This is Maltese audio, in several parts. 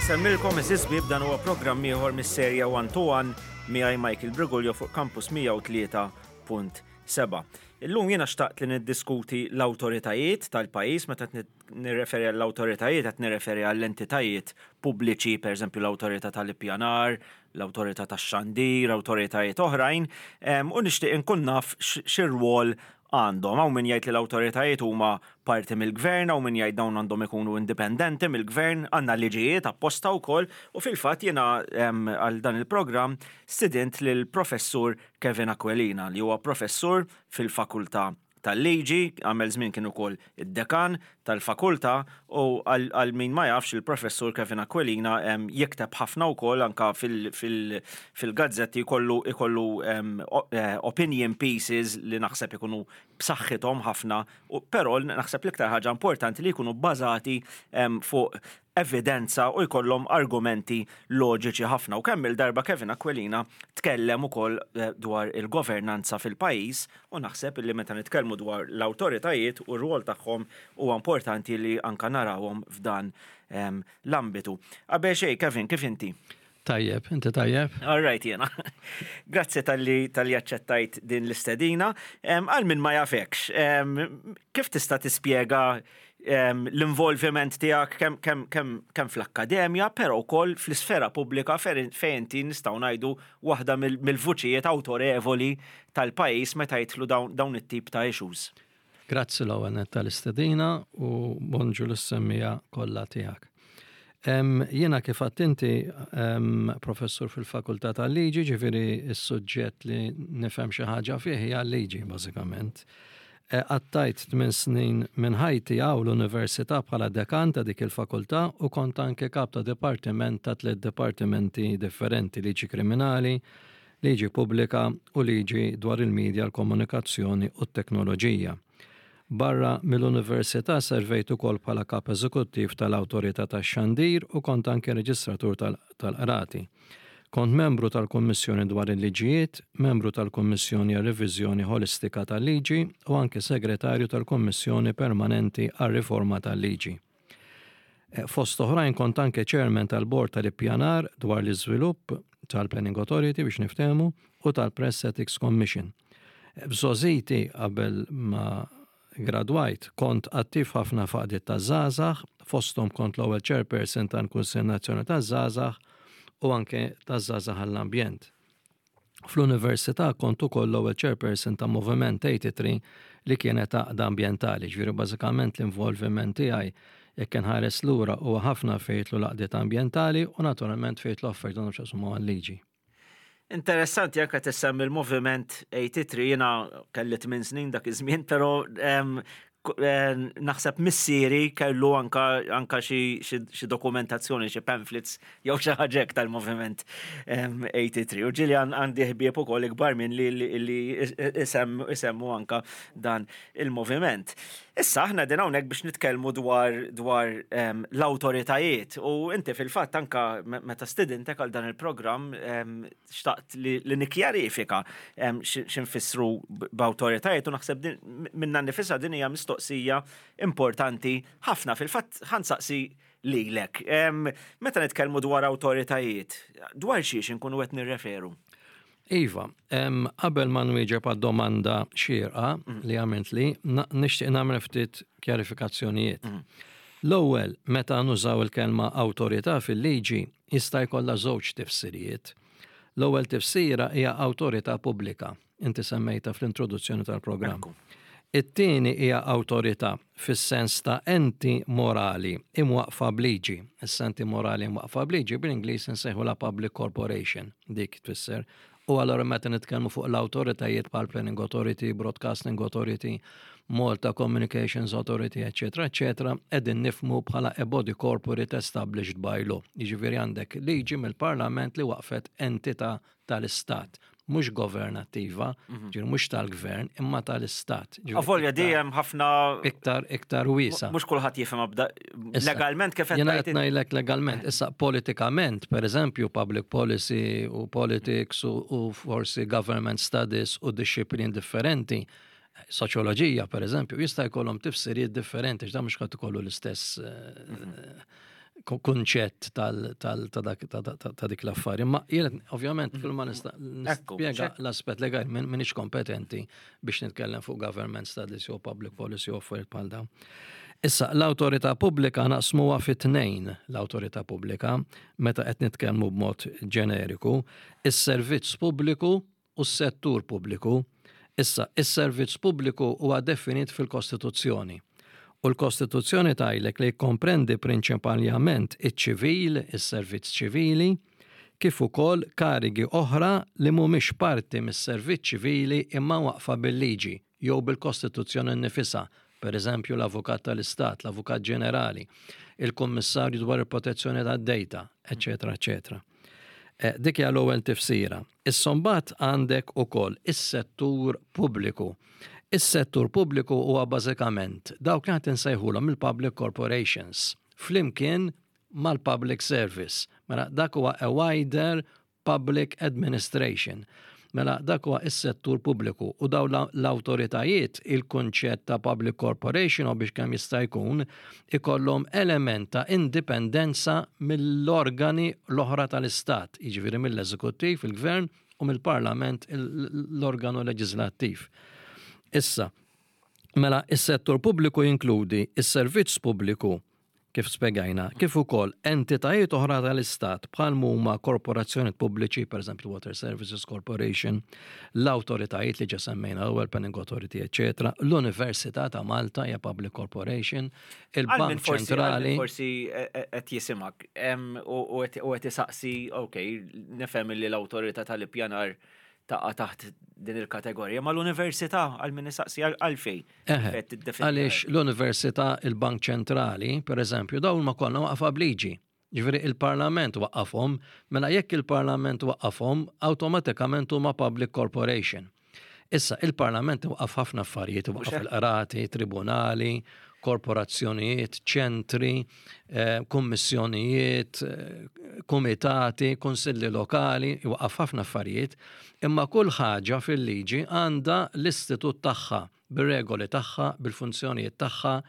Insemmilkom eżiż bib dan huwa programm ieħor mis-serja One to One miegħi Michael Brigulio fuq Campus 103.7. Illum jiena xtaqt li niddiskuti l-awtoritajiet tal-pajjiż meta nirreferi għall-awtoritajiet qed nirreferi għall-entitajiet pubbliċi, pereżempju l-awtorità tal-ippjanar, l-awtorità tax-xandir, awtoritajiet oħrajn, u nixtieq inkun naf x'irwol għandhom. Hawn min jgħid li l-awtoritajiet huma parti mill-gvern, hawn min jgħid dawn għandhom ikunu indipendenti mill-gvern, għandna liġijiet apposta wkoll u fil-fatt jiena għal dan il-programm stidint lill-Professur Kevin Aquilina li huwa professur fil-Fakultà tal-Liġi, għamel żmien kien ukoll id-dekan tal-fakultà u għal min ma jafx il-Professur Kevin Aquilina jikteb ħafna wkoll anka fil-gazzetti jkollu jkollu opinion pieces li naħseb ikunu b'saħħithom ħafna, però naħseb l-iktar ħaġa importanti li jkunu bbażati fuq evidenza u jkollhom argumenti loġiċi ħafna. U kemm il-darba Kevin Aquilina tkellem ukoll eh, dwar il-governanza fil-pajjiż u naħseb li meta nitkellmu dwar l-awtoritajiet u r-rwol tagħhom huwa importanti li anka narawhom f'dan ehm, l-ambitu. Qabel xejn, Kevin, kif inti? Tajjeb, inti tajjeb? All right, jena. Grazzi tal-li tal-li aċċettajt din l-istedina. Għal min ma jafekx, kif tista' tispjega l-involviment tiegħek kemm fl-akkademja, però wkoll fl-isfera pubblika fejn inti nistgħu ngħidu waħda mill-vuċijiet awtorevoli tal-pajjiż meta jidħlu dawn it-tip ta' issues. Grazzi l-ewwel nett tal-istedina u bonġu lis-semmiegħa kollha tiegħek. Jiena kif għedt inti professur fil-Fakultà tal-Liġi, ġifieri s-suġġett li nifhem xi ħaġa fih hija l-liġi bażikament. E, qattajt tmien snin minn ħajti hawn l-Università bħala dekan ta' dik il-fakultà u kont anke kap ta' dipartiment ta' tliet dipartimenti differenti, liġi kriminali, liġi pubblika u liġi dwar il-media, l-komunikazzjoni u t-teknoloġija. Barra mill-Università servejt ukoll bħala Kap Eżekuttiv tal-Awtorità tax-Xandir u kont anke Reġistratur tal-Qrati. Kont membru tal-Kummissjoni dwar il-Liġijiet, membru tal-Kummissjoni għar-Reviżjoni Ħolistika tal-Liġi u anke Segretarju tal-Kummissjoni Permanenti għar-Riforma tal-Liġi. Fost oħrajn kont anke Chairman tal-Bord tal-Ippjanar dwar l-Iżvilupp, tal-Planning Authority biex niftehmu, u tal-Press Ethics Commission. F'żgħożiti qabel ma gradwajt kont attiv ħafna f'għaqdiet taż-żgħażagħ, fosthom kont l-ewwel Chairperson tal-Kunsill Nazzjonali taż-Żgħażagħ u anke taż-Żgħażagħ għall-Ambjent. Fl-università kont ukoll l-ewwel chairperson ta' Moviment 83 li kienet għaqda ambjentali, ġifieri bażikament l-involviment tiegħi jekk inħares lura huwa ħafna fejn jidħlu l-għaqdiet ambjentali u naturalment fejn jidħlu affarijiet li għandhom x'jaqsmu mal-liġi. Interessanti anke tissemmi l-Moviment 83 jiena kelli 8 snin dak iż-żmien, però Eh, naħseb missieri kellu anka, anka xi dokumentazzjoni, xi pamphlets jew xi ħaġa tal-moviment 83. U ġili għandi ħbieb ukoll ikbar minn li li isemmu anka dan il-moviment. Issa aħna din hawnhekk biex nitkellmu dwar dwar l-awtoritajiet u inti fil-fatt anka meta stidintek għal dan il-programm xtaqt li nikkjarifika x'infissru b'awtoritajiet u naħseb minna nifisha din hija mistoqsija importanti ħafna. Fil-fatt ħansaqsi lilek. Meta nitkellmu dwar awtoritajiet, dwar xiex inkunu qed nirreferu? Iva, qabel ma nwieġeb għad-domanda xierqa mm. li għamilt li, nixtieq nagħmel ftit kjarifikazzjonijiet. Mm. L-ewwel, meta nużaw il-kelma awtorità fil-liġi, jista' jkollha żewġ tifsirijiet. L-ewwel tifsira hija awtorità pubblika, inti semmejtha fl-introduzzjoni tal-programm. It-tieni hija awtorità fis-sens ta' enti morali imwaqqfa b'liġi. Issa enti morali imwaqqfa b'liġi bl-Ingliż insejħulha public corporation, dik tfisser. U allura meta nitkellmu fuq l-awtoritajiet bħal Planning Authority, Broadcasting Authority, Malta Communications Authority, eccetera, eccetera, qegħdin nifmu bħala a body corporate established by law. Jiġifieri għandek liġi mill-Parlament li waqfet entità tal-Istat, mhux governattiva, mhm. ġifieri mhux tal-gvern, imma tal-Istat. Avolja dejjem ħafna iktar iktar wiesa. Mhux kulħadd jifhem legalment kif qed Jiena qed ngħidlek legalment, issa politikament, pereżempju public policy u politics u forsi government studies u disciplin differenti, soċjoloġija pereżempju, jista' jkollhom tifsiriet differenti, x'dan mhux ħadd ikollu l-istess eh, mhm. kunċett ta' dik l-affari. Ma jien ovvjament kull ma nista' nispjega l-aspett legali m'iniex kompetenti biex nitkellem fuq government studies jew public policy u affarijiet bħal dawn. Issa, l-awtorità pubblika naqsmuha fi tnejn l-awtorità pubblika meta qed nitkellmu b'mod ġeneriku, is-servizz pubbliku u s-settur pubbliku. Issa, is-servizz pubbliku huwa definit fil-Kostituzzjoni. U l-Kostituzzjoni tgħidlek li jikkomprendi prinċipaljament iċ-ċivil, is-servizz ċivili, kif ukoll karigi oħra li mhumiex parti mis-servizz ċivili imma mwaqqfa bil-liġi jew bil-Kostituzzjoni nnifisha, pereżempju l-Avukat tal-Istat, l-Avukat Ġenerali, il-Kummissarju dwar il-Protezzjoni tad-Dejta, eċċetera eċċetera. Eh, dik hija l-ewwel tifsira. Issa mbagħad għandek ukoll is-settur pubbliku. Is-settur pubbliku huwa bażikament dawk li qed insejħulhom il-public corporations flimkien mal-public service. Mela dak huwa a wider public administration. Mela dak huwa is-settur pubbliku u daw l-awtoritajiet il-kunċett ta' public corporation u biex kemm jista' jkun ikollhom element ta' indipendenza mill-organi l-oħra tal-istat, jiġifieri mill-eżekuttiv, il-gvern u mill-parlament l-organu leġislattiv. Issa, mela is-settur pubbliku jinkludi is-servizz pubbliku kif spjegajna, kif ukoll entitajiet oħra tal-Istat bħal huma korporazzjonijiet pubbliċi, pereżempju Water Services Corporation, l-awtoritajiet li ġa semmejna l-ewwel Planning Authority, eċetera, l-Università ta' Malta hija Public Corporation, il-Bank Ċentrali. Forsi e, e, qed jisimgħek u qed isaqsi, ok, nifhem li l-awtorità tal-ippjanar taqa' taħt din il-kategorija, ma l-università għal min isaqsi għalfej. Għaliex l-università, il-Bank Ċentrali, per eżempju, dawn ma kollha waqfa bliġi. Ġifieri il-Parlament waqqafhom, mela jekk il-Parlament waqqafhom, awtomatikament huma public corporation. Issa, il-Parlament waqqaf ħafna affarijiet, waqqaf il-qrati, tribunali, korporazzjonijiet, ċentri, eh, kummissjonijiet, eh, kumitati, kunsilli lokali, iwaqqaf ħafna affarijiet, imma kull ħaġa fil-liġi għandha l-istitut tagħha, bir-regoli tagħha, bil-funzjonijiet tagħha,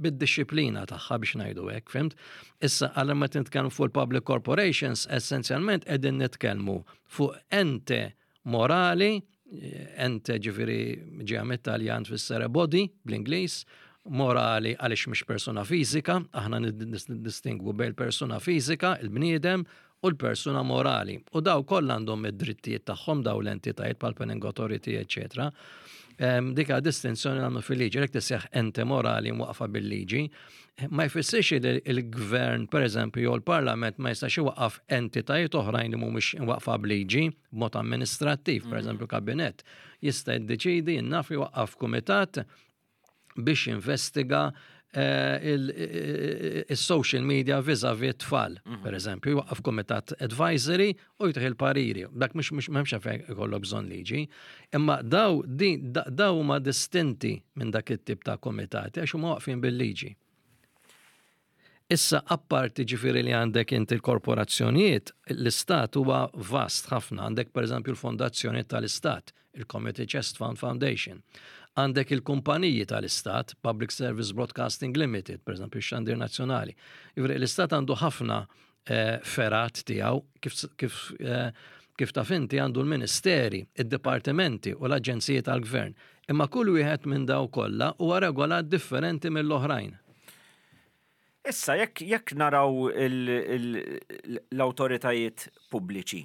bid-dixxiplina tagħha biex ngħidu hekk, fimt? Issa għal meta nitkellmu fuq il-public corporations, essenzjalment qegħdin nitkellmu fuq ente morali, ente ġifieri ġejja mit-Taljan tfisser body bl-Ingliż, morali għaliex mhix persuna fiżika, aħna niddistingwu bejn persuna fiżika, il-bniedem, u l-persuna morali. U daw kollha għandhom id-drittijiet tagħhom daw l-entitajiet bħal Planning Authority, eċetera. Dik distinzjoni għandu fil-liġi, jekk tisseħ ente morali mwaqfa bil-liġi, ma jfissirx li l-gvern, per eżempju, jew l-parlament ma jistax iwaqqaf entitajiet oħrajn li mhumiex imwaqqfa b'liġi b'mod amministrattiv, per eżempju kabinett, jista' jiddeċidi jinnaf iwaqqaf kumitat biex jinvestiga eh, il-social media vis-a-vis tfal, mhm. per eżempju, jwaqqaf komitat advisory u jtih il-pariri. Dak mhux mhux m'hemmx għalfejn ikollok bżonn liġi. Imma daw daw huma distinti minn dak it-tip ta' komitati għax huma waqfin bil-liġi. Issa apparti ġifieri li għandek inti l-korporazzjonijiet, l-istat huwa vast ħafna. Għandek pereżempju l-fondazzjoni tal-istat, il-Committee Chest Fund Foundation. Għandek il-kumpaniji tal-istat, Public Service Broadcasting Limited, pereżempju x-xandir nazzjonali. Ġifieri l-istat għandu ħafna eh, ferat tiegħu kif, kif, eh, kif taf inti għandu l-ministeri, id-dipartimenti u l-aġenziji tal-gvern. Imma kull wieħed minn daw kollha huwa regolat differenti mill-oħrajn. Issa, jekk, jekk naraw l-awtoritajiet pubbliċi,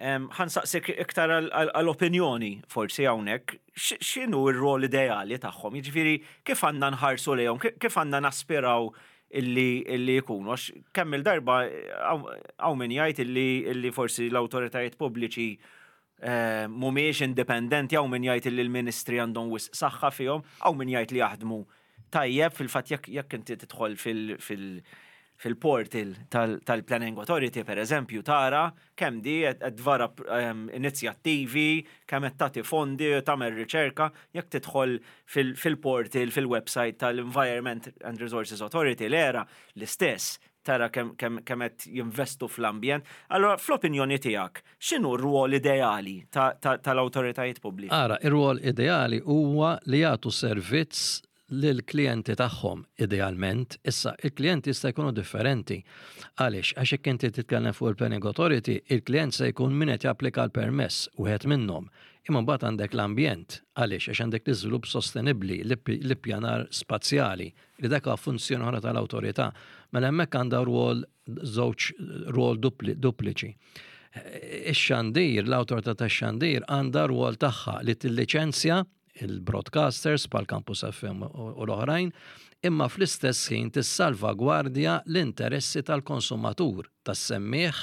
ħa nsaqsik iktar għal-opinjoni forsi hawnhekk, x'inhu r-rol ideali tagħhom? Jiġifieri kif għandna nħarsu lejhom, kif għandna naspiraw illi illi jkunu? Għax kemm il-darba hawn min jgħid illi illi forsi l-awtoritajiet pubbliċi eh, mhumiex indipendenti, hawn min jgħid illi l-ministri għandhom wisq saħħa fihom, hawn min jgħid li jaħdmu tajjeb fil-fatt jekk jekk inti tidħol fil- fil- fil-portal tal-Planning Authority, per eżempju, tara kemm di qed tvara ehm, inizjattivi, kemm qed tagħti fondi, tagħmel riċerka, jekk tidħol fil-portal, fil-website tal-Environment and Resources Authority, l-era l-istess, tara kemm qed jinvestu fl-ambjent. Allora, fl-opinjoni tiegħek, x'inhu r-rwol ideali tal-awtoritajiet pubbliċi? Ara, ir-rwol ideali huwa li jagħtu servizz lill-klijenti tagħhom idealment. Issa, il-klijenti jista' jkunu differenti. Għaliex? Għax jekk inti titkellem fuq il-Planning Authority, il-klijent se jkun min qed japplika l-permess, wieħed minnhom. Imma mbagħad għandek l-ambjent. Għaliex? Għax għandek l-iżvilupp sostenibbli, l-ippjanar spazjali, li dak huwa funzjoni oħra tal-awtorità. Mela hemmhekk għandha rwol żewġ rwol dupliċi. Ix-xandir, l-awtorità tax-xandir għandha rwol tagħha li tilliċenzja il-broadcasters bħal Campus FM u l-oħrajn, imma fl-istess ħin tissalvagwardja l-interessi tal-konsumatur, tas-semmiegħ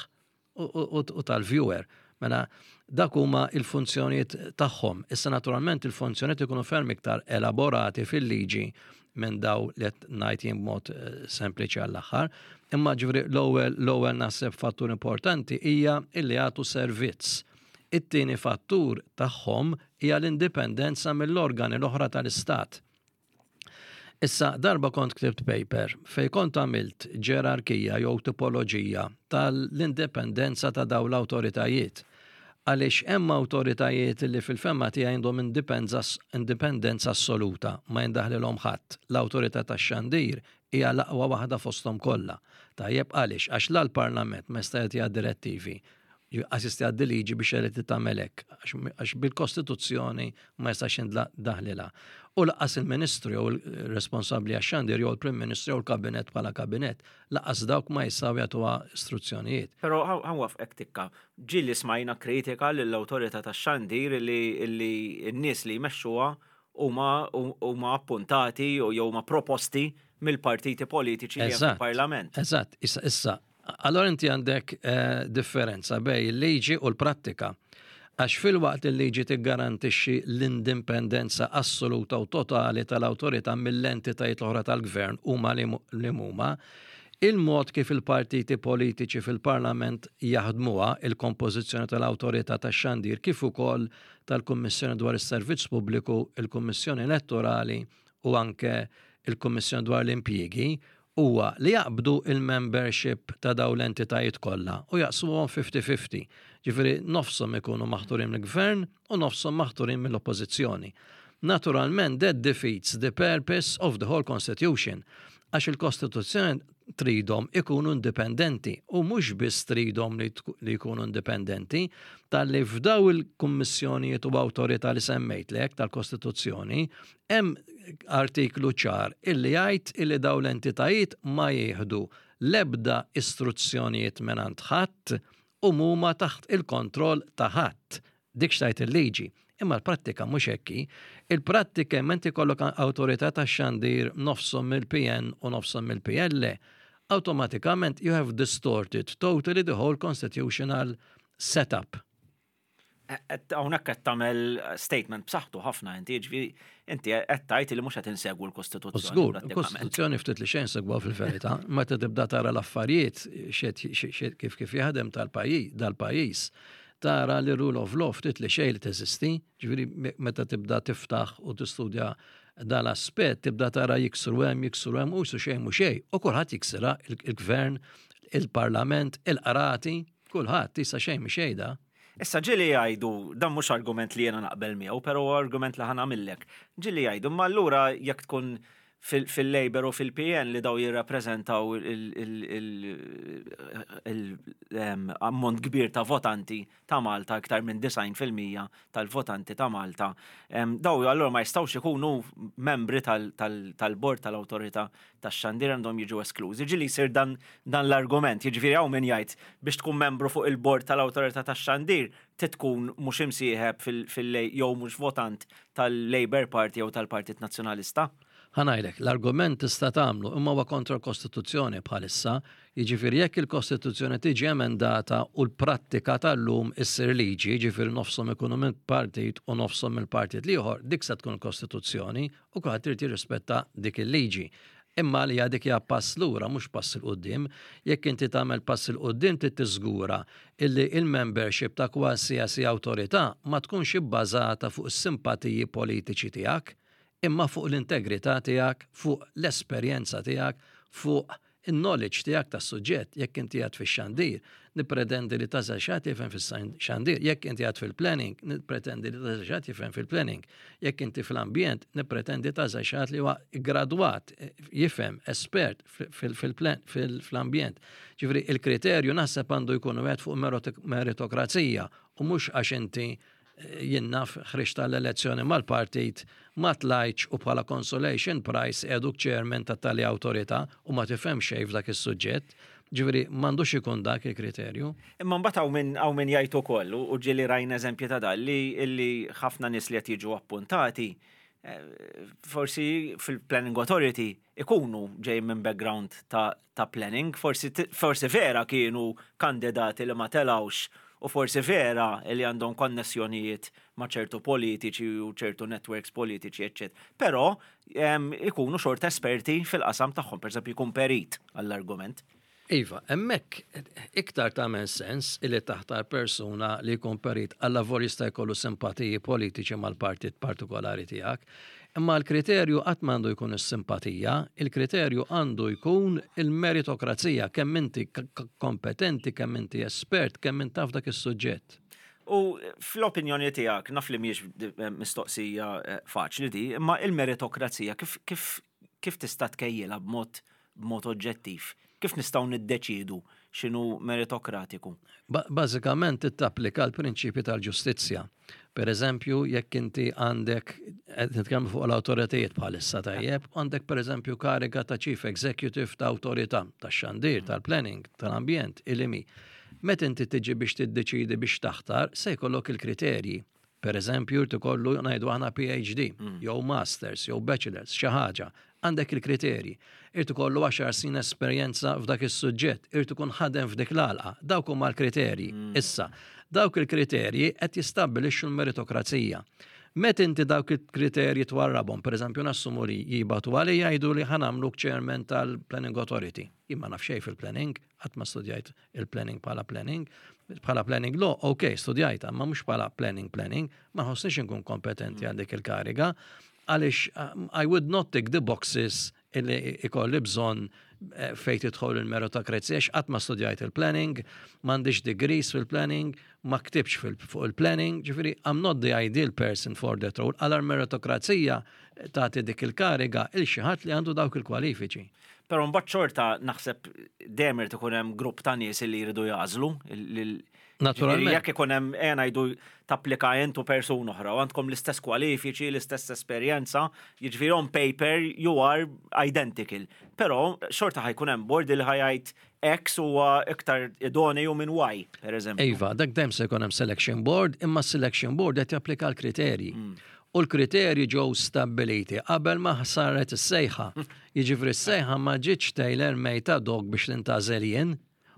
u tal-viewer. Mela dak huma il-funzjonijiet tagħhom. Issa naturalment il-funzjonijiet ikunu ferm iktar elaborati fil-liġi minn daw li qed ngħid jien b'mod eh, sempliċi għall-aħħar. Imma ġifieri l-ewwel l-ewwel naħseb fattur importanti hija illi jagħtu servizz. It-tieni fattur tagħhom hija l-indipendenza mill-organi l-oħra tal-Istat. Issa, darba kont ktibt paper fej kont għamilt ġerarkija jew tipoloġija tal-indipendenza ta' dawn l-awtoritajiet. Għaliex hemm awtoritajiet li fil-fehma tiegħi għandhom indipendenza assoluta, ma jindaħlilhom ħadd. L-awtorità tax-xandir hija l-aqwa waħda fosthom kollha. Tajjeb għaliex? Għax la l-Parlament ma jista' jagħtiha direttivi, Għas jista' jgħaddi liġi biex jgħid li tagħmel hekk, għax bil-Kostituzzjoni ma jistax daħlilha. U laqas il-Ministru jew il-responsabbli għax-xandir jew il-Prim Ministru jew il-Kabinett bħala kabinett, laqas dawk ma jistgħu jagħtuha istruzzjonijiet. Però ħa nwaffqek tikka. Ġieli smajna kritika lill-Awtorità tax-Xandir li n-nies li jmexxuha huma huma appuntati jew huma proposti mill-partiti politiċi li hemm fil-Parlament. Eżatt, issa issa Allora inti għandek eh, differenza bej il-liġi u l-prattika. Għax filwaqt il-liġi tiggarantixxi l-indipendenza assoluta u totali tal-awtorità mill-entitajiet l-oħra tal-gvern huma li huma, il-mod kif il-partiti politiċi fil-Parlament jaħdmuha il-kompożizzjoni tal-awtorità tax-xandir kif ukoll tal-Kummissjoni dwar is-Servizz Pubbliku, il-Kummissjoni Elettorali u anke il-Kummissjoni dwar l-Impjiegi huwa li jaqbdu il-membership ta' dawn l-entitajiet kollha u jaqsmuhom 50-50. Ġifieri nofshom ikunu maħturin mill-gvern u nofshom maħturin mill-oppożizzjoni. Naturalment that defeats the purpose of the whole constitution għax il-Kostituzzjoni tridhom ikunu indipendenti u mhux biss tridhom li jkunu indipendenti talli f'daw il-kummissjonijiet u awtorità li semmejtlek tal-Kostituzzjoni Hemm artiklu ċar illi jgħid illi dawn l-entitajiet ma jieħdu l-ebda istruzzjonijiet mingħand ħadd u mhuma taħt il-kontroll ta' ħadd. Dik x'tgħid il-liġi. Imma l-prattika mhux hekk hi. Il-prattika hemm inti jkollok awtorità tax-xandir nofshom mill-PN u nofshom mill-PL, awtomatikament you have distorted totally the whole constitutional setup. Hawnhekk qed tagħmel statement b'saħħtu ħafna inti, jiġifieri inti qed tgħid li mhux qed insegwu l-Kostituzzjoni. Żgur, il-Kostituzzjoni ftit li xejn segwa fil-verità, meta tibda tara l-affarijiet kif kif jaħdem tal-pajjiż dal-pajjiż, tara li rule of law ftit li xejn li teżisti, ġifieri meta tibda tiftaħ u tistudja dal-aspett tibda tara jiksru hemm, jiksru hemm u xejn mhu xejn, u kulħadd jiksirha il-gvern, il-parlament, il-qrati, kulħadd issa xejn mhi xejn da. Issa ġieli jgħidu, dan mhux argument li jiena naqbel miegħu, però huwa argument li ħa nagħmillek. Ġieli jgħidu, ma allura jekk tkun fil-Labour u fil-PN li daw jirrappreżentaw l-ammont kbir ta' votanti ta' Malta, iktar minn 90% tal-votanti ta' Malta, daw allura ma jistgħux ikunu membri tal-bord tal-awtorità tax-xandir għandhom jiġu esklużi. Ġieli jsir dan, dan l-argument, jiġifieri hawn min jgħid biex tkun membru fuq il-bord tal-awtorità tax-xandir trid tkun mhux imsieħeb fil jew mhux votant tal-Labour Party jew tal-Partit Nazzjonalista. Ħa ngħidlek, l-argument tista' tagħmlu imma huwa kontra l-Kostituzzjoni bħalissa, jiġifieri jekk il-Kostituzzjoni tiġi emendata u l-prattika tal-lum issir liġi, jiġifieri nofshom ikunu minn partit u nofshom mill-partit l-ieħor, dik se tkun il-Kostituzzjoni u kulħadd irid jirrispetta dik il-liġi. Imma għalija dik hija pass lura mhux pass 'il quddiem. Jekk inti tagħmel pass 'il quddiem trid tiżgura illi il-membership ta' kwalsiasi awtorità ma tkunx ibbażata fuq is-simpatiji politiċi tiegħek, imma fuq l-integrità tiegħek, fuq l-esperjenza tiegħek, fuq In-knowledge tiegħek tas-suġġett, jekk inti qiegħed fix-xandir, nippretendi li tagħżel xi ħadd jifhem fix-xandir, jekk inti qiegħed fil-planning, nippretendi li tagħżel xi ħadd jifhem fil-planning, jekk inti fl-ambjent, nippretendi tagħżel xi ħadd li huwa gradwat, jifhem, espert fl-ambjent. Ġifieri il-kriterju naħseb għandu jkun wieħed fuq meritokrazija u mhux għax inti jien naf ħriġt għall-elezzjoni mal-partit, ma tlajtx u bħala consolation prize qiegħduk chairman ta' tali awtorità u ma tifhem xejn f'dak is-suġġett. Ġifieri m'għandux ikun dak il-kriterju. Imma mbagħad hawn min hawn min jgħid ukoll, u ġieli rajna eżempji ta' dan, li li ħafna nies li qed jiġu appuntati forsi fil-Planning Authority ikunu ġejjin minn background ta' ta' planning, forsi forsi vera kienu kandidati li ma telgħux u forsi vera li għandhom konnessjonijiet ma' ċertu politiċi u ċertu networks politiċi, eċċetera. Però ikunu xorta esperti fil-qasam tagħhom, pereżempju jkun perit għall-argument. Iva, hemmhekk iktar tagħmel sens illi taħtar persuna li jkun perit allavolja jista' jkollu simpatiji politiċi mal-partit partikolari tiegħek. Imma l-kriterju qatt m'għandu jkun is-simpatija, il-kriterju għandu jkun il-meritokrazija, kemm inti kompetenti, kemm inti espert, kemm int taf dak is-suġġett. U fl-opinjoni tiegħek, naf li mhijiex mistoqsija faċli di, imma il-meritokrazija kif, kif, kif tista' tkejjilha b'mod b'mod oġġettiv? Kif nistgħu niddeċiedu x'inhu meritokratiku? Bażikament trid tapplika l-prinċipji tal-ġustizzja. Per eżempju, jekk inti għandek, qed nitkellmu fuq l-awtoritajiet bħalissa tajjeb, għandek per eżempju kariga ta' Chief Executive ta' awtorità, tax-xandir, tal-planning, tal-ambjent, il-IMI. Meta inti tiġi biex tiddeċiedi biex taħtar, se jkollok il-kriterji. Per eżempju, jrid ikollu ngħidu aħna PhD, mm. jew Masters, jew Bachelors, xi ħaġa. Għandek il-kriterji. Irid ikollu 10 snin esperjenza f'dak is-suġġett, irid ikun ħadem f'dik l-għalqa. Dawk huma l-kriterji. Mm. Issa, dawk il-kriterji qed jistabbilixxu l-meritokrazija. Meta inti dawk il-kriterji twarrabhom, per eżempju nassumu li jibatu għalija jgħidu li ħanamluk chairman tal-Planning Authority. Jien ma naf xejn fil-planning, qatt ma studjajt il-planning bħala planning. Bħala planning law, ok, studjajta, ma mhux bħala planning planning, ma nħossniex inkun kompetenti għal dik il-kariga, għaliex um, I would not tick the boxes illi ikolli bżonn eh, fejn tidħol il-meritokrazija, għax qatt ma studjajt il-planning, m'għandix degrees fil-planning, ma ktibx fuq il-planning, ġifieri I'm not the ideal person for that role, għal meritokrazija tagħti dik il-kariga il xi ħadd li għandu dawk il-kwalifiċi. Però mbagħad xorta naħseb dejjem irid ikun hemm grupp ta' nies li jridu jagħżlu. Naturalment. Jekk ikun hemm ejja ngħidu tapplika int u persuna oħra u għandkom l-istess kwalifiċi, l-istess esperjenza, jiġifieri on paper you are identical. Però xorta ħajkun hemm board li ħajgħid X huwa iktar idoneu minn Y, per eżempju. Iva, dak dejjem se jkun hemm selection board, imma selection board qed japplika l-kriterji. Mm. U l-kriterji ġew stabbiliti qabel ma saret is-sejħa. Jiġifieri s-sejħa ma ġietx tailor made ad hoc biex nintgħażel jien.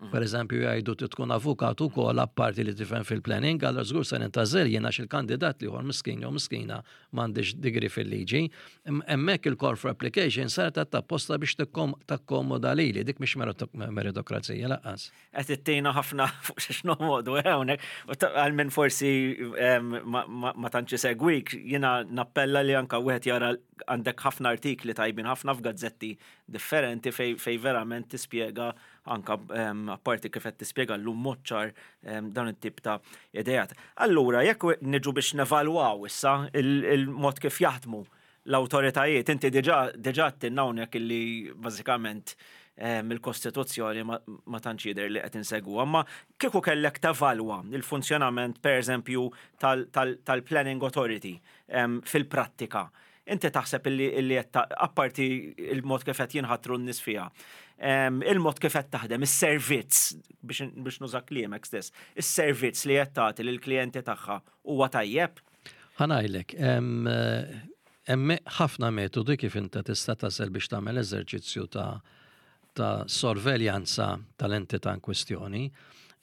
Per eżempju jgħidu trid tkun avukat ukoll apparti li tifhem fil-planning, allura żgur se nintgħażel jien għax il-kandidat l-ieħor miskin jew miskina m'għandix degree fil-liġi. Hemmhekk il-call for application saret apposta biex takkomoda lili, dik mhix meritokrazija lanqas. Qed ittina ħafna fuq xiex noqogħdu eh, hawnhekk. Għal min forsi ma tantx isegwik, jiena nappella li anka wieħed jara għandek ħafna artikli tajbin ħafna f'gazzetti differenti fej verament tispjega anka apparti kif qed tispjega llum mod ċar dawn it-tip ta' ideat. Allura, jekk niġu biex nevalwaw issa il-mod kif jaħdmu l-awtoritajiet, inti diġà diġà għedtilna hawnhekk illi bażikament il-Kostituzzjoni ma tantx jidher li qed insegwuha, imma kieku kellek tevalwa l-funzjonament pereżempju tal-Planning Authority fil-prattika, inti taħseb illi qed apparti il-mod kif qed jinħatru n-nies fiha, il-mod kif qed taħdem, is-servizz biex nuża kliemek stess, is-servizz li qed tagħti lill-klijenti tagħha huwa tajjeb? Ħa ngħidlek, hemm ħafna metodi kif inta tista' tasal biex tagħmel eżerċizzju ta' ta' sorveljanza tal-entità in kwistjoni.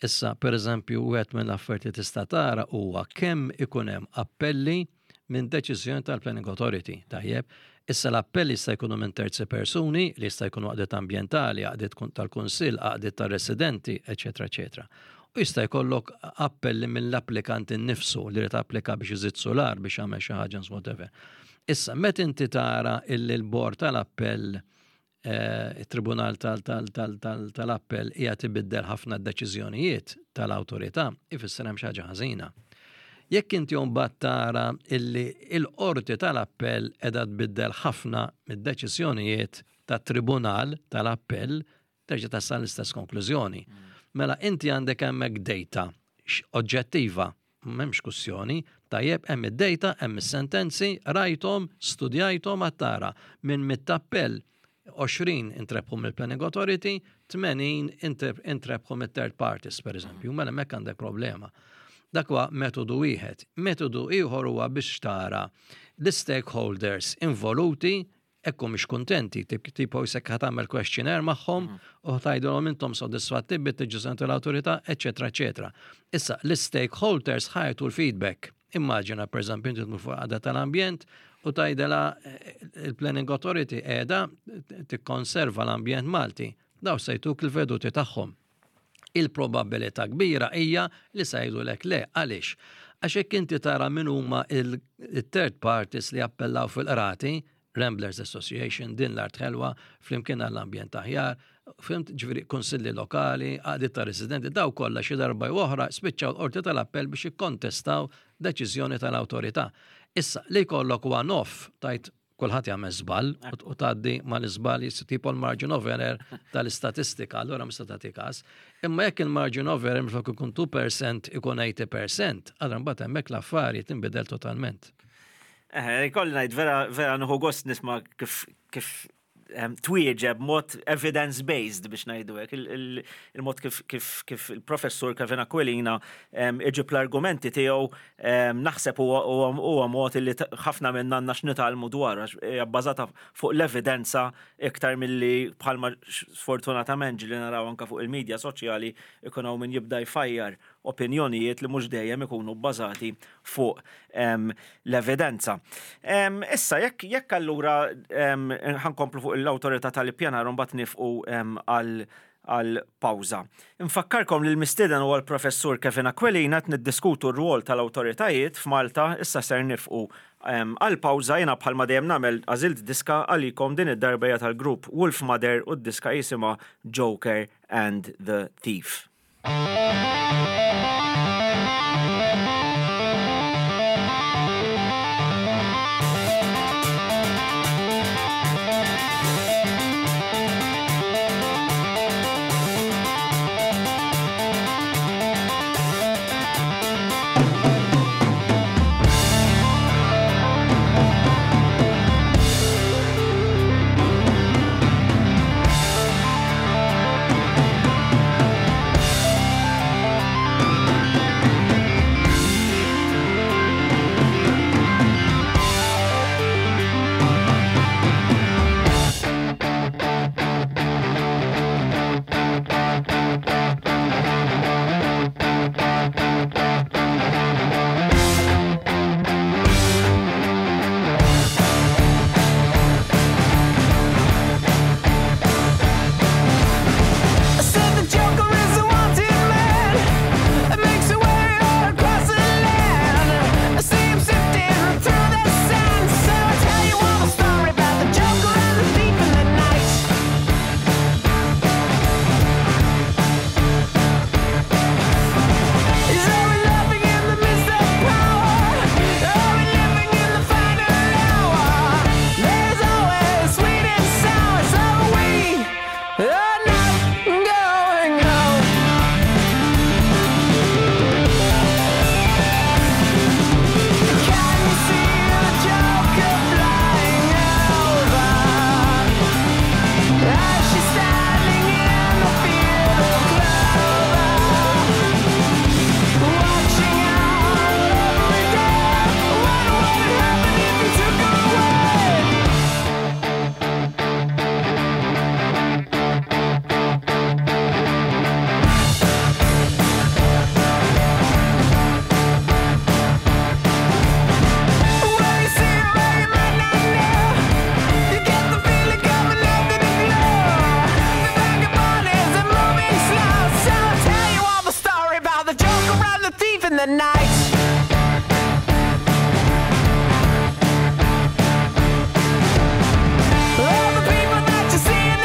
Issa, per eżempju, wieħed mill-affarijiet li tista' tara huwa kemm ikun hemm appelli minn deċiżjoni tal-Planning Authority, tajjeb. Issa l-appelli jista' jkunu minn terzi persuni, li jista' jkunu għaqdiet ambjentali, għaqdiet tal-kunsill, għaqdiet tar-residenti, eċetera, eċetera. U jista' jkollok appelli mill-applikant innifsu li jrid applika biex iżid sular biex jagħmel xi ħaġa whatever. Issa, meta inti tara illi l-bord tal-appell it-Tribunal tal-Appell qiegħed ibiddel ħafna deċiżjonijiet tal-awtorità, ifisser hemm xi ħaġa ħażina. Jekk inti mbagħad tara illi l-qorti tal-appell qiegħda tbiddel ħafna mid-deċiżjonijiet tat-Tribunal tal-Appell, terġa' tasal l-istess konklużjoni. Mela inti għandek hemmhekk data oġġettiva, m'hemmx kwistjoni, tajjeb hemm id-data, hemm is-sentenzi, rajthom, studjajthom għad tara minn mit-appell 20 intrebħu mill-Planning Authority, 80 intrebħu mit-third parties, per eżempju, mela hemmhekk għandek problema. Dak huwa metodu wieħed. Metodu ieħor huwa biex tara l-stakeholders involuti hekk mhux kuntenti, tipo jisek ħa tagħmel questionnaire magħhom u tgħidulhom intom sodisfatti bit-deċiżjoni tal-awtorità, eċetera, eċetera. Issa, l-stakeholders ħa jagħtu l-feedback. Immaġina, per eżempju, inti tmur fuq għaqda tal-ambjent u tgħidilha il-Planning Authority qiegħda tikkonserva l-ambjent Malti. Daw se jtuk il-veduti tagħhom. Il-probabilità kbira hija li se jgħidulek le. Għaliex? Għax jekk inti tara min huma il-third parties li appellaw fil-qrati, Ramblers Association, Din l-Art Ħelwa, Flimkien għall-Ambjent Aħjar, fhimt, ġifieri kunsilli lokali, għaqdiet ta' residenti, daw kollha xi darba jew oħra spiċċaw l-qorti tal-appell biex jikkontestaw deċiżjoni tal-awtorità. Issa, li jkollok one-off, tajt kulħadd jagħmel żball u tgħaddi mal-iżball tipo l-margin of error tal-istatistika, allura mista tagħti każ. Imma jekk il-margin of error minflok ikun 2% ikun 80%, allura mbagħad hemmhekk l-affari tinbidel totalment. Ikolli ngħid vera vera nieħu gost nisma' kif kif twieġeb mod evidence-based biex ngħidu hekk, il-mod kif kif kif il-professur Kevin Aquilina iġib l-argumenti tiegħu naħseb huwa mod li ħafna minna għandna x'nitgħallmu dwar għax hija bbażata fuq l-evidenza iktar milli bħalma sfortunatament ġieli naraw anke fuq il-medja soċjali ikun hawn min jibda jfajjar opinjonijiet li mhux dejjem ikunu bbażati fuq l-evidenza. Issa, jekk jekk allura ħankomplu fuq l-awtorità tal-ippjanar u mbagħad nifqu għal għal pawża. Infakkarkom li l-mistieden huwa l-Professur Kevin Aquilina qed niddiskutu r-rwol tal-awtoritajiet f'Malta, issa ser nifqu għal pawża jiena bħalma dejjem nagħmel għażilt diska għalikom din id-darba hija tal-grupp Wolfmother u d-diska jisimha Joker and the Thief. The night. All the people that you see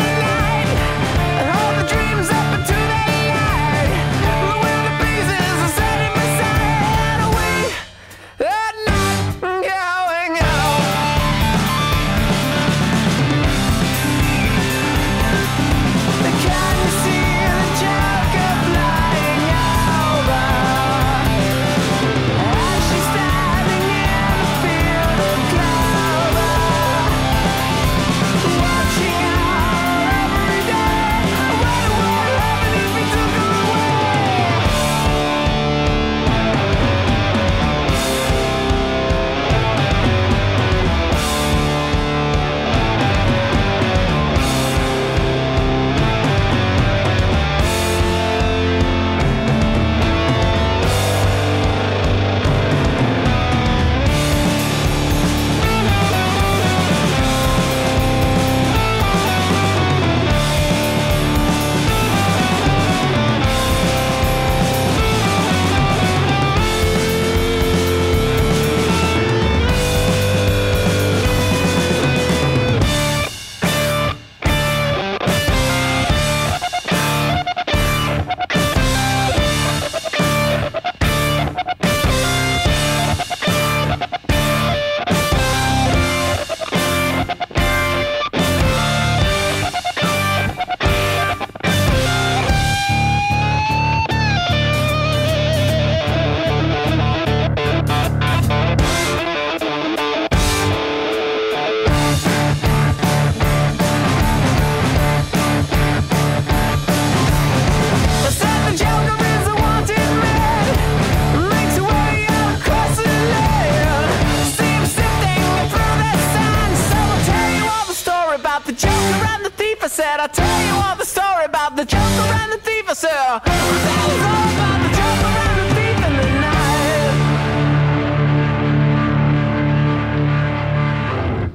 and the thief. I said, I was all about the joker and the thief in the night.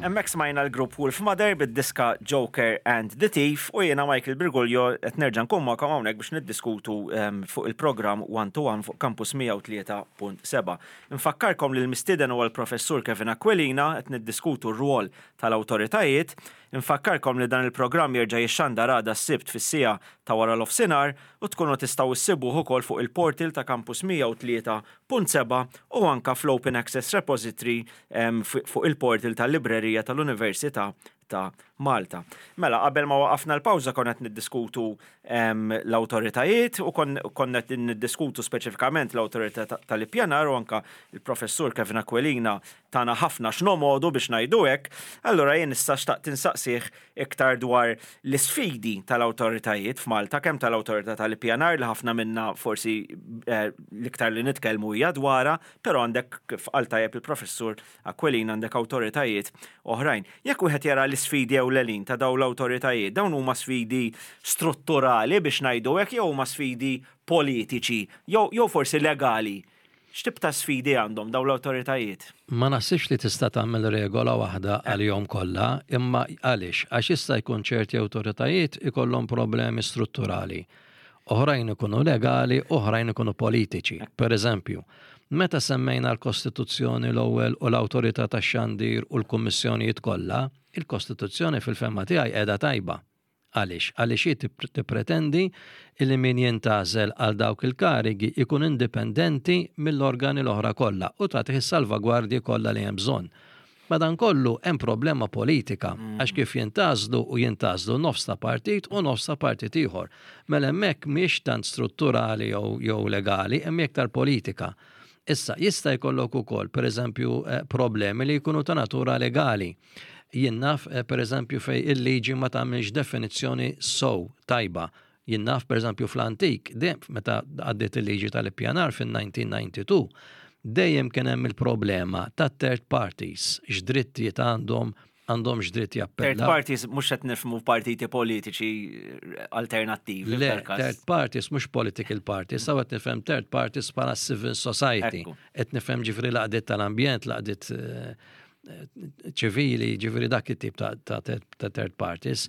Hemmhekk smajna l-grupp Wolf Mother bid-diska Joker and the Thief u jiena Michael Briguglio qed nerġa' nkun magħkom hawnhekk biex niddiskutu ehm, fuq il-programm One to One fuq Campus 103.7. Infakkarkom li l-mistieden huwa l-Professur Kevin Aquilina qed niddiskutu r-rwol tal-awtoritajiet. Infakkarkom li dan il-programm jerġa' jixxandar għada s-Sibt fis-siegħa ta' waranofsinhar u tkunu tistgħu issibuh ukoll fuq il-portal ta' Campus 103.7 u anke fl-Open Access Repository fuq il-portal tal-Librerija tal-Università ta' Malta. Mela, qabel ma waqafna l-pawża konna qed niddiskutu l-awtoritajiet u konna qed niddiskutu speċifikament l-awtorità tal-ippjanar u anke l-Professur Kevin Aquilina tana ħafna x'nomogħdu biex ngħidu hekk, allura jien issa xtaqt insaqsih iktar dwar l-isfidi tal-awtoritajiet f'Malta, kemm tal-Awtorità tal-Ippjanar li ħafna minna forsi l-iktar li nitkellmu hija dwarha, però għandek kif qal tajjeb il-Professur Aquilina għandek awtoritajiet oħrajn. Jekk wieħed jara l-isfidi ewlenin ta' dawn l-awtoritajiet, dawn huma sfidi strutturali biex ngħidu hekk jew huma sfidi politiċi jew forsi legali? X'tip ta' sfidi għandhom dawn l-awtoritajiet? Ma naħsibx li tista' tagħmel regola waħda għalihom kollha, imma għaliex? Għax jista' jkun ċerti awtoritajiet ikollhom problemi strutturali. Oħrajn ikunu legali, oħrajn ikunu politiċi. Per eżempju, meta semmejna l-Kostituzzjoni l-ewwel u l-Awtorità tax-Xandir u l-Kummissjonijiet kollha, il-Kostituzzjoni fil-fehma tiegħi qiegħda tajba. Għaliex? Għaliex hi tippretendi li min jintgħażel għal dawk il-karigi jkun indipendenti mill-organi l-oħra kollha u tagħtih is-salvagwardji kollha li hemm bżonn. Madankollu hemm problema politika għax kif jintgħażlu u jintgħażlu nofs ta' partit u nofs ta' partit ieħor. Mela hemmhekk mhijiex tant strutturali jew legali, hemm iktar politika. Issa, jista' jkollok ukoll, pereżempju, problemi li jkunu ta' natura legali. Jien naf, eh, per eżempju, fej il-liġi ma tagħmilx definizzjoni sow tajba. Jien naf, per eżempju, fl-antik, meta għaddiet il-liġi tal-ippjanar fin-1992, dejjem kien hemm il-problema ta' third parties, x'drittijiet għandhom, għandhom x'dritt jappellaw. Third parties mhux qed nifhmu partiti politiċi alternattivi. Le, third parties mhux political parties, saw qed nifhem third parties bħala civil society. Qed nifhem ġifri laqdiet tal-ambjent, laqdiet eh, ċivili, ġifiri dak it-tip ta' third parties.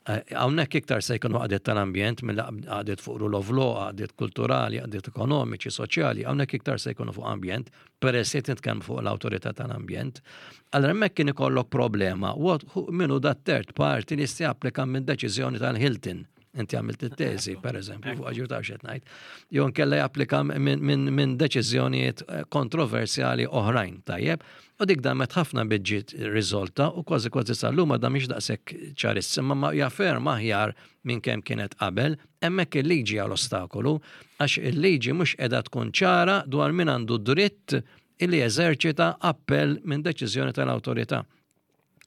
Eh, hawnhekk iktar se jkunu għadiet tal-ambjent mill għadiet fuq rule of law, għadiet kulturali, għadiet ekonomiċi, soċjali, hawnhekk iktar se jkunu fuq ambjent, peress li nitkellmu fuq l-awtorità tal-ambjent. Allora hemmhekk kien ikollok problema, minnu dat third party li jista' japplika minn deċiżjoni tal-Hilton. Inti għamilt it-teżi, per eżempju, fuq ġur taf xed ngħid. Jew nkella japplika minn deċiżjonijiet eh, kontroversjali oħrajn, tajjeb. U dik damet ħafna biġġiet riżolta u kważi kważi sal-lum għadha mhix daqshekk ċarissima ma jaffer aħjar minn kemm kienet qabel, hemmhekk il-liġi għal ostakolu għax il-liġi mhux qiegħda tkun ċara dwar min għandu dritt illi jeżerċita appell minn deċiżjoni tal-awtorità.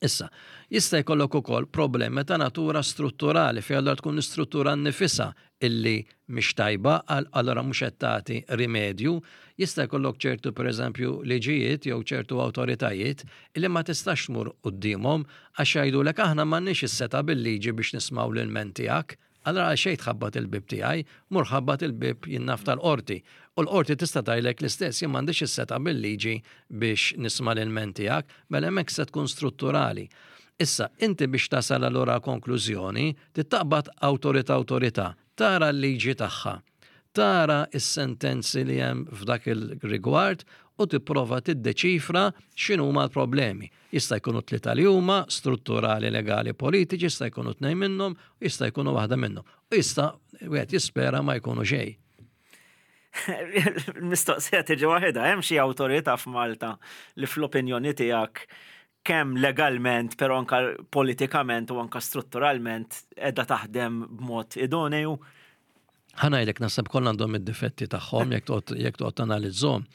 Issa, jista' jkollok ukoll problemi ta' natura strutturali fejn allura tkun l-istruttura nnifisha illi mhix tajba allura mhux qed tagħti rimedju. Jista' jkollok ċertu pereżempju liġijiet jew ċertu awtoritajiet illi ma tistax tmur quddiemhom għax jgħidulek aħna m'għandniex is-setgħa bil-liġi biex nismgħu l-ilment tiegħek. Allura għalxejn tħabbat il-bieb tiegħi, mur ħabbat il-bieb jien naf tal-qorti. U l-qorti tista' tgħidlek l-istess, jien m'għandix is-setgħa bil-liġi biex nisma' l-ilment tiegħek, mela hemmhekk se tkun strutturali. Issa, inti biex tasal allura konklużjoni, trid taqbad awtorità awtorità, tara l-liġi tagħha, tara s-sentenzi li hemm f'dak il-rigward u tipprova tiddeċifra x'inhuma l-problemi. Jista' jkunu tlieta li huma, strutturali, legali, politiċi, jista' jkunu tnejn minnhom, jista' jkunu waħda minnhom. U jista' wieħed jispera ma jkunu xejn. Mistoqsija tiġi waħedha, hemm xi awtorità f'Malta li fl-opinjoni tiegħek kemm legalment, però anka politikament u anka strutturalment qiegħda taħdem b'mod idoneju? Ħa ngħidlek naħseb kollha għandhom id-difetti tagħhom jekk toqgħod jekk toqgħod tanalizzhom.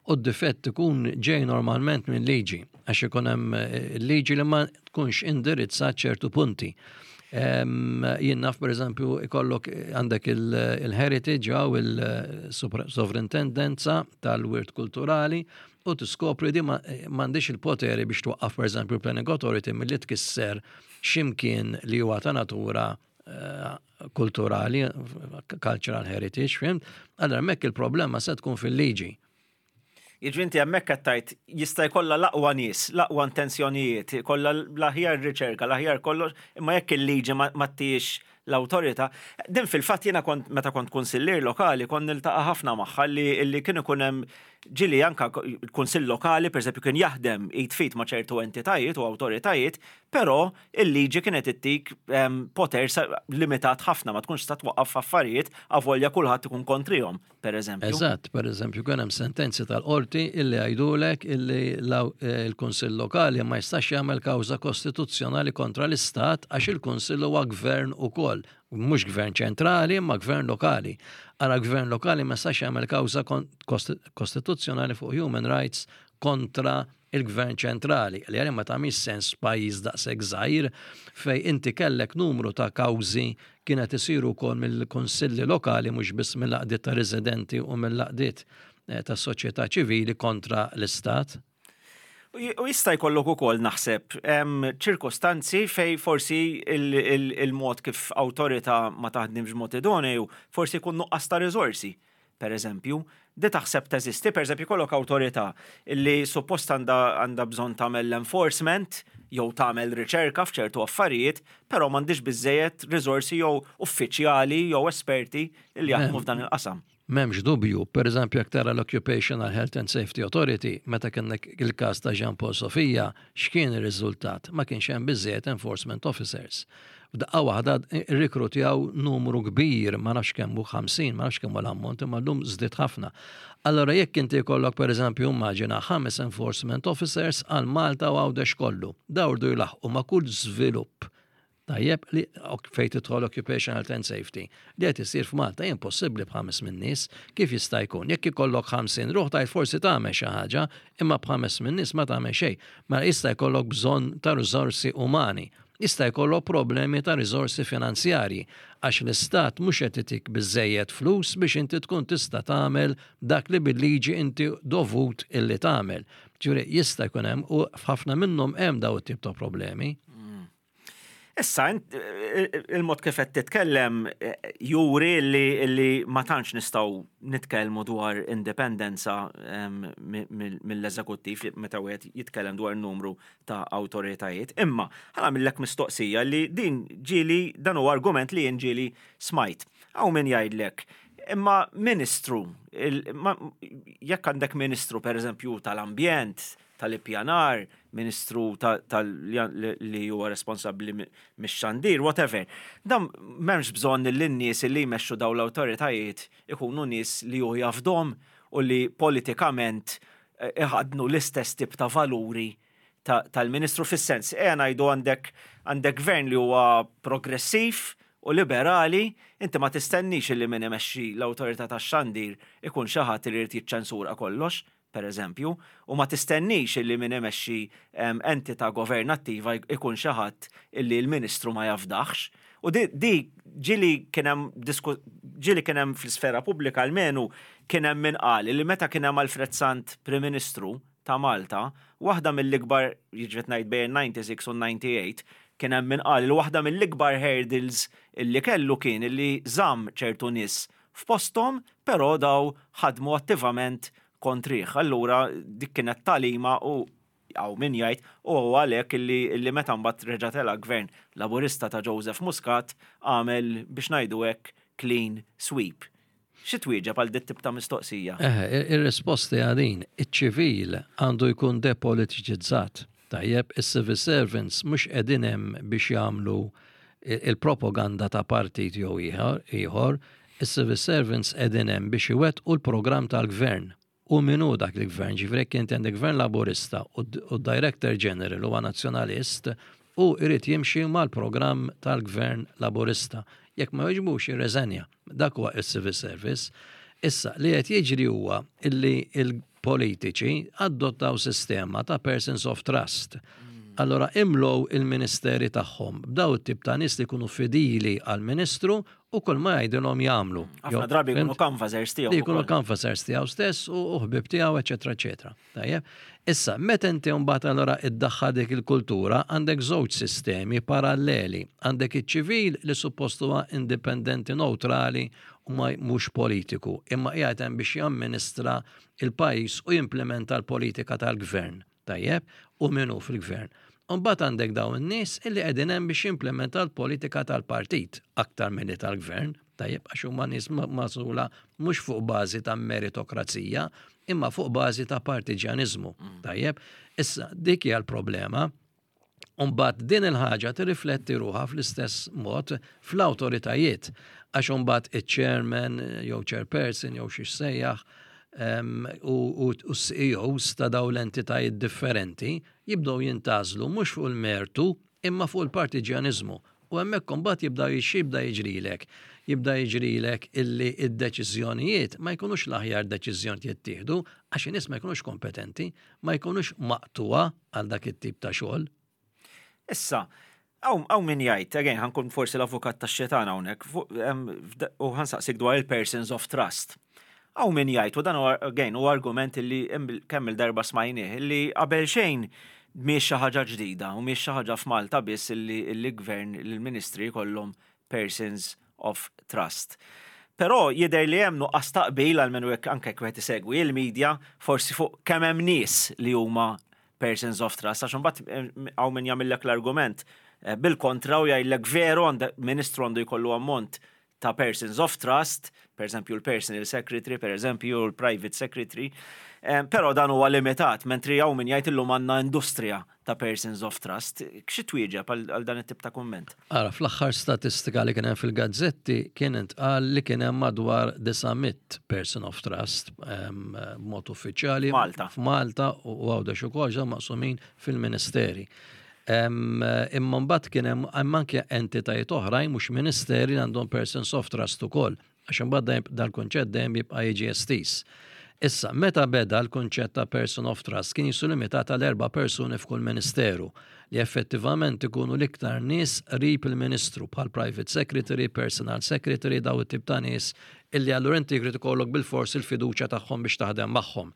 U d-difett ikun ġej normalment minn liġi għax ikun hemm eh, liġi li ma tkunx indirizzat ċertu punti. Jien naf pereżempju ikollok eh, għandek il-heritage jew il-sovrintendenza tal-wirt kulturali u tiskopri di eh, m'għandix il-poteri biex twaqqaf pereżempju planning authority milli tkisser ximkien li huwa ta' natura eh, kulturali, cultural heritage, fhimt? Allora hemmhekk il-problema se tkun fil-liġi. Jiġifieri inti hemmhekk qed tgħid jista' jkollha l-aqwa nies, l-aqwa intenzjonijiet, jkollha l-aħjar riċerka, l-aħjar kollox, imma jekk il-liġi ma ttihiex l-awtorità. Din fil-fatt jiena kont meta kont kunsillier lokali kont niltaqa' ħafna magħha li kien ikun hemm ġieli anke l-kunsill lokali pereżempju kien jaħdem id f'id ma' ċertu entitajiet u awtoritajiet, però il-liġi kienet ittik poter limitat ħafna ma tkunx tista' twaqqaf affarijiet avolja kulħadd ikun kontrihom, pereżempju. Eżatt, pereżempju kien hemm sentenzi tal-qorti illi jgħidulek illi l-Kunsill Lokali ma jistax jagħmel kawża kostituzzjonali kontra l-Istat għax il-Kunsill huwa gvern ukoll, mhux gvern ċentrali imma gvern lokali. Ara gvern lokali ma jistax jagħmel kawża kostituzzjonali fuq human rights kontra il-gvern ċentrali, li għalija ma tagħmilx sens f'pajjiż daqshekk żgħir fejn inti kellek numru ta' kawżi kienet isiru wkoll mill-kunsilli lokali mhux biss mill-għaqdiet ta' residenti u mill-għaqdiet eh, tas-soċjetà ċivili kontra l-istat. U jista' jkollok ukoll naħseb ċirkostanzi fej forsi il-mod kif awtorità ma taħdimx mod idoneu, forsi jkun nuqqas ta' riżorsi. Pereżempju, di taħseb teżisti, pereżempju jkollok awtorità li suppost għandha għandha bżonn tagħmel l-enforcement jew tagħmel riċerka f'ċertu affarijiet, però m'għandhiex biżżejjed riżorsi jew uffiċjali jew esperti li jaħdmu f'dan il-qasam. M'hemmx dubju, pereżempju jekk tara l-Occupational Health and Safety Authority, meta kellek il-każ ta' Jean Paul Sofia, x'kien ir-riżultat? Ma kienx hemm biżżejjed enforcement officers. F'daqqa waħda rrikrutjaw numru kbir, ma nafx kemm hu 50, ma nafx kemm hu l-ammont, imma llum żdied ħafna. Allora jekk inti jkollok pereżempju immaġina ħames enforcement officers għal Malta u Għawdex kollu, dawn irdu jlaħħqu ma' kull żvilupp tajjeb li fejn tidħol occupational health and safety li qed isir f'Malta impossibbli b'ħames min nies kif jista' jkun. Jekk ikollok 50 ruħ tgħid forsi tagħmel xi ħaġa, imma b'ħames min nies ma tagħmel xejn. Mela jista' jkollok bżonn ta' riżorsi umani. Jista' jkollok problemi ta' riżorsi finanzjarji għax l-istat mhux qed itik biżżejjed flus biex inti tkun tista' tagħmel dak li bil-liġi inti dovut illi tagħmel. Ġifieri jista' jkun hemm u f'ħafna minnhom hemm dawn it-tip ta' problemi. Issa, il-mod kif qed titkellem juri li ma tantx nistgħu nitkellmu dwar indipendenza mill-eżekuttiv meta wieħed jitkellem dwar numru ta' awtoritajiet. Imma, ħa nagħmillek mistoqsija li din ġieli dan huwa argument li jien ġieli smajt. Hawn min jgħidlek, imma ministru, jekk għandek ministru pereżempju tal-ambjent, tal-ippjanar, ministru li huwa responsabbli mix-xandir, whatever. Dan m'hemmx bżonn li n-nies li jmexxu dawn l-awtoritajiet ikunu nies li hu jafdhom u li politikament iħaddnu l-istess tip ta' valuri tal-Ministru fis-sens, ejja ngħidu għandek għandek gvern li huwa progressiv u liberali, inti ma tistennix li min imexxi l-awtorità tax-xandir ikun xi ħadd li jrid jiċċensura kollox, per eżempju, u ma tistennix li min imexxi entità governattiva ikun xi ħadd li l-Ministru ma jafdaħx. U di, di ġieli kien hemm ġieli kien hemm fl-isfera pubblika almenu kien hemm min qal li meta kien hemm Alfred Sant Prim Ministru ta' Malta, waħda mill-ikbar, jiġifieri qed ngħid bejn 96 u 98, kien hemm min qal li waħda mill-ikbar hurdles illi kellu kien illi żamm ċertu nies f'posthom però daw ħadmu attivament kontrih. Allura dik kienet tagħlima u Hawn min jgħid, u huwa għalhekk illi illi meta mbagħad reġa' tela' gvern Laburista ta' Joseph Muscat għamel biex ngħidu hekk clean sweep. Xi twieġeb għal dit-tip ta' mistoqsija? Eħe, ir-risposta hija din, iċ-ċivil għandu jkun depolitiċizzat. Tajjeb, is-civil servants mhux qegħdin hemm biex jagħmlu il-propaganda ta' partit jew ieħor, is-civil servants qegħdin hemm biex iwettqu l-programm tal-gvern. U min hu dak il-gvern? Ġifieri jekk inti għandek gvern Laburista u d-Director General huwa Nazzjonalist, hu jrid jimxi mal-programm tal-gvern Laburista. Jekk ma jogħġbux jirreżenja. Dak huwa s-civil service. Issa, li qed jiġri huwa illi l-politiċi adottaw sistema ta' persons of trust. Allora imlow il-ministeri tagħhom b'daw it-tip ta' nies li jkunu fidili għall-ministru u kull ma jgħidilhom jagħmlu. Ħafna drabi jkunu canvassers tiegħu. Li jkunu canvassers tiegħu stess u ħbib tiegħu, eċetera, eċetera. Tajjeb. Issa, meta inti mbagħad allura iddaħħal dik il-kultura, għandek żewġ sistemi paralleli. Għandek iċ-ċivil li suppost huwa indipendenti neutrali u ma mhux politiku, imma qiegħed hemm biex jamministra il-pajjiż u jimplementa l-politika tal-gvern. Tajjeb, u min hu fil-gvern. U mbagħad għandek dawn in-nies illi qegħdin hemm biex jimplementa l-politika tal-partit aktar milli tal-gvern. Tajjeb, għax huma nies magħżula mhux fuq bażi ta' meritokrazija, imma fuq bażi ta' partiġjaniżmu. Tajjeb, issa dik hija l-problema. Umbagħad din il-ħaġa tirrifletti ruħha fl-istess mod fl-awtoritajiet għax umbagħad iċ-chairman jew chairperson jew xi sejjaħ u CEOs ta' daw l-entitajiet differenti jibdew jintgħażlu mhux fuq il-mertu imma fuq il-partiġjaniżmu. U hemmhekk imbagħad jibda jibda jiġrilek. Jibda jiġrilek illi id-deċiżjonijiet ma jkunux l-aħjar deċiżjoni jittieħdu għax in-nies ma jkunux kompetenti, ma jkunux maqtuwa għal dak it-tip ta' xogħol. Issa, hawn min jgħid, again, ħa nkun forsi l-avukat tax-xitan hawnhekk, u ħa nsaqsik dwar il-persons of trust. Hawn min jgħid, u dan again u argument li kemm il-darba smajnieh, li qabel xejn mhix xi ħaġa ġdida u mhix xi ħaġa f'Malta biss illi l-gvern, l-ministri jkollhom persons of trust. Però jidher li hemm nuqqas taqbil għal minn hekk anke jekk wieħed isegwi il-medja forsi fuq kemm hemm nies li huma persons of trust, għax imbagħad hawn min jagħmillek l-argument bil-kontra u jgħidlek veru għandek ministru għandu jkollu ammont ta' persons of trust, per eżempju l-personal secretary, per eżempju l-private secretary, però dan huwa limitat, mentri hawn min jgħid illum għandna industrija ta' persons of trust. Xi twieġeb għal dan it-tip ta' kumment? Ara, fl-aħħar statistika li kien hemm fil-gazzetti kien intqal li kien hemm madwar 900 person of trust b'mod uffiċjali. Malta. F'Malta u Għawdex ukoll ġew maqsumin fil-ministeri. Imma mbagħad kien hemm anke entitajiet oħrajn mhux ministeri li għandhom persons of trust ukoll. Għax imbagħad dal-kunċett dejjem jibqa' jiġi estiż. Issa, meta beda l-kunċett ta' person of trust kien jisu limitat għal erba' persuni f'kull ministeru li effettivament ikunu l-iktar nies qrib il-ministru bħal private secretary, personal secretary, daw it-tip ta' nies illi allura inti jrid ikollok bil-fors il-fiduċja tagħhom biex taħdem magħhom.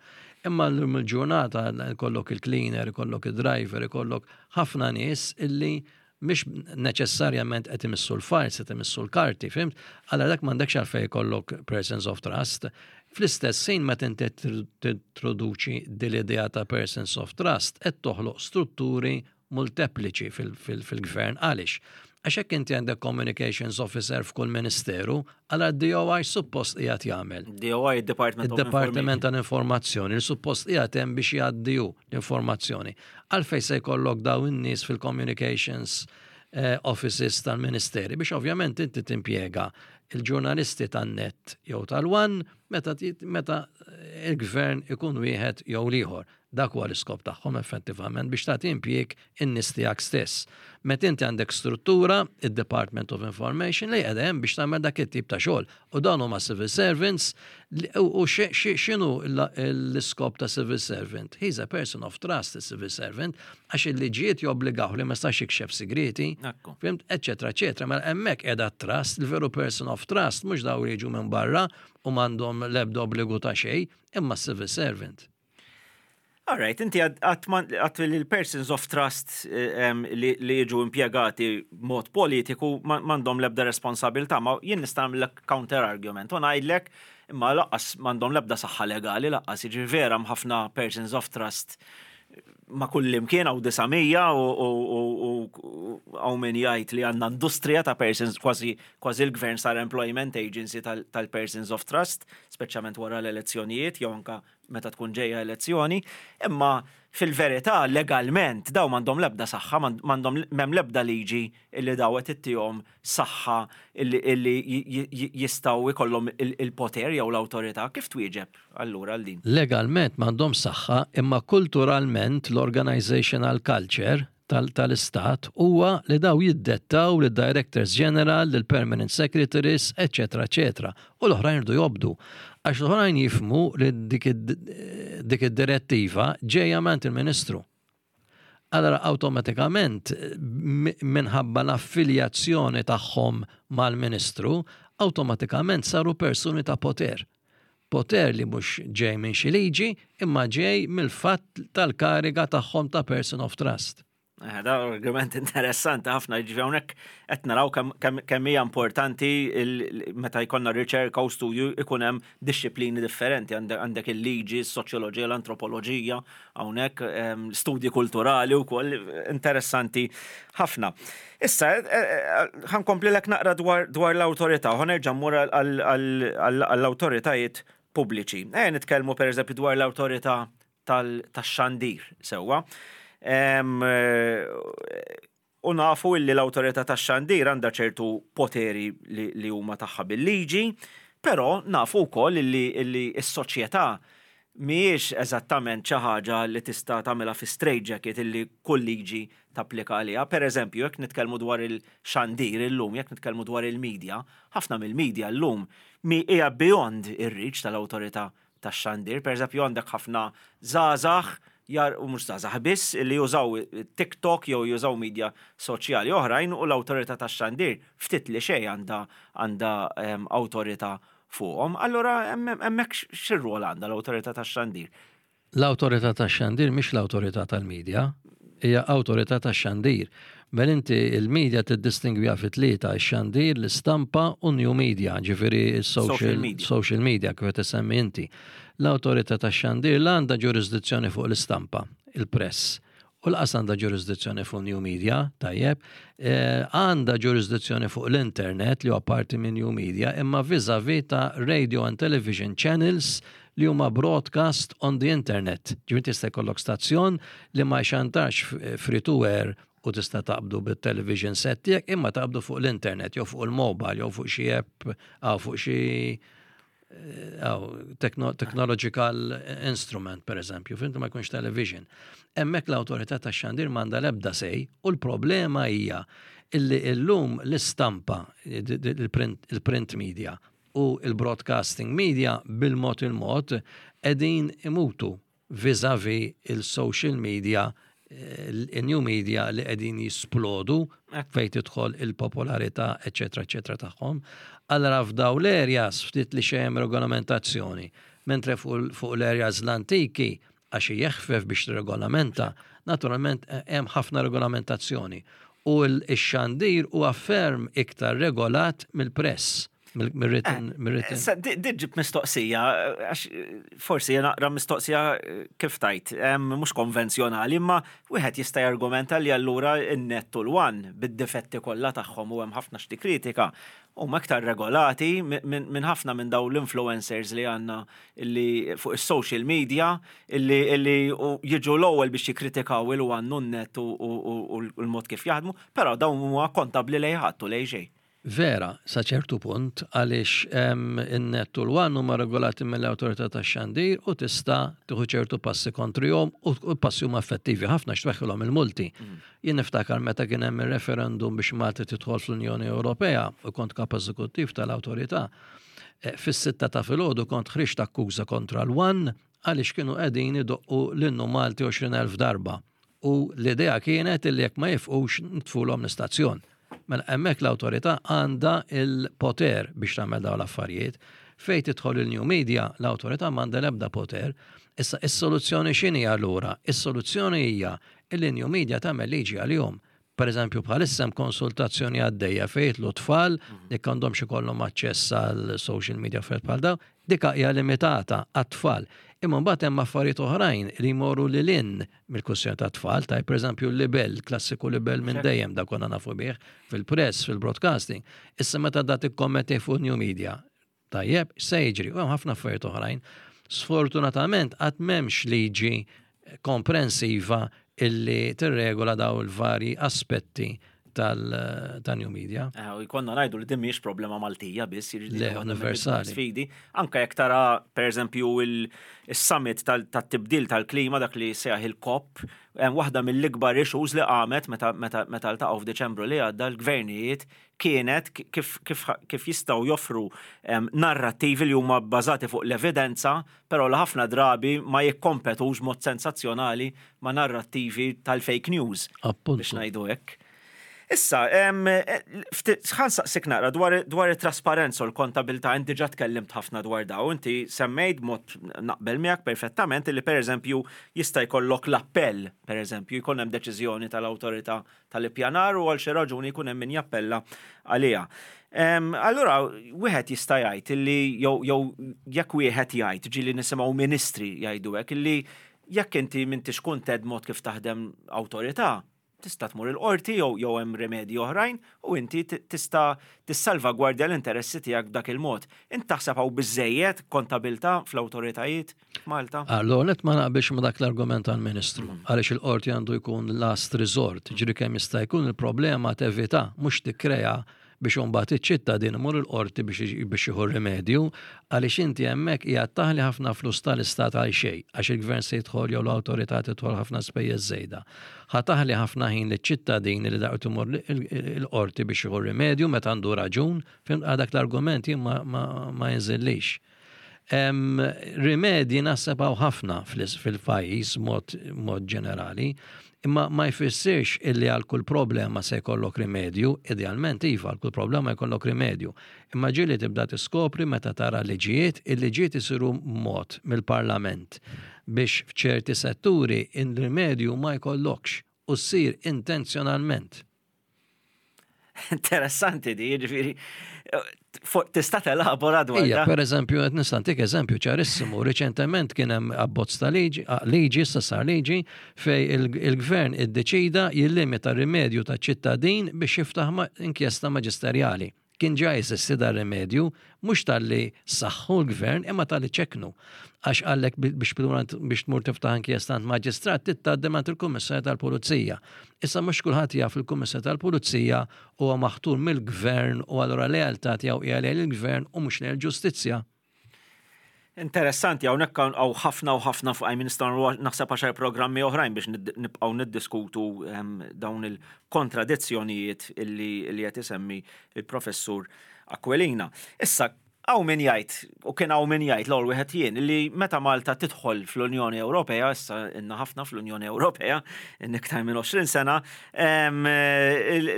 Imma llum il-ġurnata ikollok il-cleaner, ikollok il-driver, ikollok ħafna nies illi mhix neċessarjament qed imissu l-files, qed imissu l-karti, fhimt? Allora dak m'għandekx għalfejn jkollok persons of trust. Fl-istess ħin meta inti tintroduċi din l-idea ta' persons of trust, qed toħloq strutturi multepliċi fil-gvern. Għaliex? Għax hekk inti għandek communications officer f'kull ministeru, għala DOI suppost qiegħed jagħmel. DOI, Department of Il-Departiment tal-Informazzjoni, li suppost qiegħed hemm biex jgħaddiju l-informazzjoni. Għalfejn se jkollok daw in-nies fil-communications offices tal-ministeri biex ovvjament inti timpjega il-ġurnalisti tan-Net jew tal-One meta il-gvern ikun wieħed jew l-ieħor. Dak huwa l-iskop tagħhom effettivament biex tagħti impjieg in-nies tiegħek stess. Meta inti għandek struttura, id-Department of Information li qiegħda hemm biex tagħmel dak it-tip ta' xogħol. U dawn huma civil servants u x'inhu l-iskop ta' civil servant? He's a person of trust, a civil servant, għax il-liġijiet jobbligaw li ma jistax jikxef sigreti. Fhimt, eċetera, eċetera. Mela hemmhekk qiegħda trust, il-veru person of trust, mhux daw li jiġu minn barra u m'għandhom l-ebda obbligu ta' xejn, imma civil servant. All right, inti għat li l-persons of trust li jiġu impiegati mod politiku m'għandhom lebda responsabilità, ma jien nista' nagħmlek counter argument u ngħidlek imma lanqas m'għandhom lebda saħħa legali, lanqas jiġi vera ħafna persons of trust ma kull imkien hawn 900 u hawn min jgħid li għandna industrija ta' persons, kważi l-gvern sar employment agency tal-persons of trust, speċjalment wara l-elezzjonijiet jew anka meta tkun ġejja elezzjoni, imma fil-verità legalment daw m'għandhom lebda saħħa, m'għandhom m'hemm lebda liġi illi daw qed ittihom saħħa illi jistgħu jkollhom il-poter jew l-awtorità. Kif twieġeb allura għal din? Legalment m'għandhom saħħa, imma kulturalment l-organizational culture tal-istat huwa li daw jiddettaw lid directors general, lil permanent secretaries, eccetera, eccetera. U l-oħrajn irdu jobdu. Għax l-oħrajn jifhmu li dik id-direttiva ġejja mingħand il-ministru. Allora awtomatikament minħabba l-affiljazzjoni tagħhom mal-Ministru, awtomatikament saru persuni ta' poter. Poter li mhux ġej minn xi liġi, imma ġej mill-fatt tal-kariga tagħhom ta' person of trust. Eh, da argument interessanti ħafna, ġifi hawnhekk qed naraw kemm hija importanti meta jkollna riċerka u studju ikun hemm dixxiplini differenti, għandek il-liġi, s-soċjoloġija, l-antropoloġija, hawnhekk ehm, studji kulturali wkoll interessanti ħafna. Issa, eh, eh, ħankompli lek naqra dwar l-awtorità, ħanerġa' mmur għall-awtoritajiet pubbliċi. Eh, nitkellmu pereżempju dwar l-awtorità tax-xandir sewwa. U nafu illi l-awtorità tax-xandir għandha ċertu poteri li huma tagħha bil-liġi, però nafu wkoll illi s-soċjetà mhijiex eżattament xi ħaġa li tista' tagħmilha fi straitjacket illi kull liġi tapplika għaliha. Per eżempju, jekk nitkellmu dwar il-xandir illum, jekk nitkellmu dwar il-media, ħafna mill-media llum hija beyond ir-reach tal-awtorità tax-xandir. Pereżempju għandek ħafna żgħażagħ jar u mhux żgħażagħ biss li jużaw TikTok jew jużaw media soċjali oħrajn u l-awtorità tax-xandir ftit li xejn għandha għandha ehm, awtorità fuqhom. Allura hemmhekk x'irwol għandha l-awtorità tax-xandir? L-awtorità tax-xandir mhix l-awtorità tal-media, hija awtorità tax-xandir. Mela inti il-media tiddistingwiha fi tlieta, ix-xandir, l-istampa u new media, ġifieri social, social media kif qed isemmi inti. L-awtorità tax-xandir la għandha ġurisdizzjoni fuq l-istampa, il-press, u laqas għandha ġurisdizzjoni fuq new media, tajjeb, eh, għandha ġurisdizzjoni fuq l-internet li huwa parti minn new media, imma vis-a-vis ta' radio and television channels li huma broadcast on the internet. Ġifieri tista' jkollok stazzjon li ma jxantarx free to air u tista' taqbdu bit-television set tiegħek imma taqbdu fuq l-internet jew fuq il-mobile jew fuq xi app aw fuq xi eh, technological instrument per eżempju, fintu ma jkunx television. Hemmhekk l-awtorità tax-xandir m'għandha l-ebda sej u l-problema hija illi illum l-istampa, il-print media u il-broadcasting media bil-mod il-mod qegħdin imutu vis-a-vis il-social media, il-new media li qegħdin jisplodu fejn tidħol il-popolarità, eċetera, eċetera tagħhom. Allora f'daw l-areas ftit li xejn regolamentazzjoni, mentre fuq l-areas l-antiki għax jeħfef biex regolamenta, naturalment hemm ħafna regolamentazzjoni. U l-xandir huwa ferm iktar regolat mill-press. Mir-written, eh, mir-written. Diġib mistoqsija, għax eh, forsi naqra mistoqsija eh, kif tajt, mhux konvenzjonali, imma wieħed jista' jargumenta li allura n-net u l-one bid-difetti kollha tagħhom u hemm ħafna xti kritika huma iktar regolati minn ħafna minn daw l-influencers li għandna li fuq is-social media illi jiġu l-ewwel biex jikkritikaw il-one u n-net u l-mod kif jaħdmu, però dawn huma kontabbli lejn ħadd u lejn xejn. Vera, sa ċertu punt, għaliex in-net u l-one huma regolati mill-Awtorità tax-Xandir u tista' tieħu ċertu passi kontrihom u passi huma effettivi ħafna x'tweħħilhom il-multi. Mm. Jien niftakar meta kien hemm ir-referendum biex Malta tidħol fl-Unjoni Ewropea u kont kap eżekuttiv tal-awtorità. Eh, fis-sitta ta' filgħodu kont ħriġt akkuża kontra l-one għaliex kienu qegħdin idoqqu l-innu Malti 20,000 darba. U l-idea kienet li jekk ma jifqux nitfulhom l-istazzjon. Mela hemmhekk l-awtorità għandha l-poter biex tagħmel dawn l-affarijiet. Fejn tidħol il-new media, l-awtorità m'għandha l-ebda poter. Issa is-soluzzjoni x'inhi allura? Is-soluzzjoni hija li new media tagħmel liġi għalihom. Per eżempju, bħalissa hemm konsultazzjoni għaddejja fejn jidħlu tfal jekk għandhomx ikollhom aċċess għal social media affarijiet bħal dawn, dik hija limitata għat-tfal. Imma mbagħad hemm affarijiet oħrajn li jmorru lil hinn mill-kwistjoni tat-tfal, taj pereżempju l-libell, klassiku libell minn dejjem dak konna nafu bih fil-press, fil-broadcasting. Issa meta da tikkommetti fuq new media, tajjeb, se jiġri, u hemm ħafna affarijiet oħrajn. Sfortunatament qatt m'hemmx liġi komprensiva illi tirregola daw il-varji aspetti tal-new media. Eh, u jkollna ngħidu li din mhijiex problema Maltija biss, jiġifieri Le, universali. Sfidi. Anke jekk tara pereżempju il-summit tat-tibdil tal-klima dak li sejaħ il-COP, waħda mill-ikbar issues li qamet meta meta ltaqgħu f'Diċembru li għadda l-gvernijiet kienet kif, kif, kif jistgħu joffru narrattivi li huma bbażati fuq l-evidenza, però li ħafna drabi ma jikkompetux mod sensazzjonali ma' narrattivi tal-fake news. Appuntu. Biex ngħidu hekk. Issa, ħa nsaqsik naqra dwar, dwar it-trasparenza u l-kontabilità, inti ġa tkellimt ħafna dwar daw, inti semmejt mod naqbel miegħek perfettament li pereżempju jista' jkollok l-appell, pereżempju, jkun hemm deċiżjoni tal-awtorità tal-ippjanar u għal xi raġuni jkun hemm min jappella għaliha. Allura wieħed jista' jgħid illi jew jew jekk wieħed jgħid ġieli nisimgħu ministri jgħidu hekk illi jekk inti m'intix kuntent mod kif taħdem awtorità, tista' tmur il-qorti jew jew hemm rimedji oħrajn u inti tista' tissalvagwardja l-interessi tiegħek b'dak il-mod. Int taħseb hawn biżżejjed kontabilità fl-awtoritajiet f'Malta? Allora, net ma naqbilx ma dak l-argument tal-Ministru, għaliex il-qorti għandu jkun last resort, ġiri kemm jista' jkun il-problema tevita, mhux tikkrea biex imbagħad iċ-ċittadin imur il-qorti biex jieħu rimedju, għaliex inti hemmhekk qiegħed taħli ħafna flus tal-istat għal xejn, għax il-gvern se jidħol jew l-awtorità tidħol ħafna spejjeż żejda. Ħa taħli ħafna ħin liċ-ċittadin li daqt imur il-qorti biex jieħu rimedju meta għandu raġun, fhimt dak l-argument jien ma jinżillix. Rimedji naħseb hawn ħafna fil-pajjiż mod ġenerali, imma ma jfissirx illi għal kull problema se jkollok rimedju, idealment iva għal kull problema jkollok rimedju. Imma ġieli tibda tiskopri meta tara liġijiet, il-liġijiet isiru mod mill-Parlament biex f'ċerti setturi il-rimedju ma jkollokx u ssir intenzjonalment. Interessanti di, ġifieri, tista' telabora dwar Ija, per eżempju, qed nista' ntik eżempju ċarissimu. Riċentement kien hemm abbozz ta' liġi, liġi issa sar liġi fej il-gvern iddeċida jillimita rimedju ta' ċittadin biex jiftaħ inkjesta maġisterjali. Kien ġa jeżisti dar rimedju, mhux talli saħħu l-gvern imma talli ċekknu. Għax qallek biex biex tmur tiftaħ inkjesta għand maġistrat trid tgħaddi mingħand il-Kummissarju tal-Pulizija. Issa mhux kulħadd jaf il-Kummissarju tal-Pulizija huwa maħtur mill-gvern u allura lealtà tiegħu hija lejn il-gvern u mhux lejn il-ġustizzja. Interessanti, hawnhekk hawn ħafna u ħafna fuq għajmin nistgħu naħseb għaxar programmi oħrajn biex nibqgħu niddiskutu ehm, dawn il-kontradizzjonijiet illi qed isemmi il-professur Aquilina. Issa, hawn min jgħid, u kien hawn min jgħid l-ewwel wieħed jien, li meta Malta tidħol fl-Unjoni Ewropea, issa inna ħafna fl-Unjoni Ewropea, iktar minn 20 sena,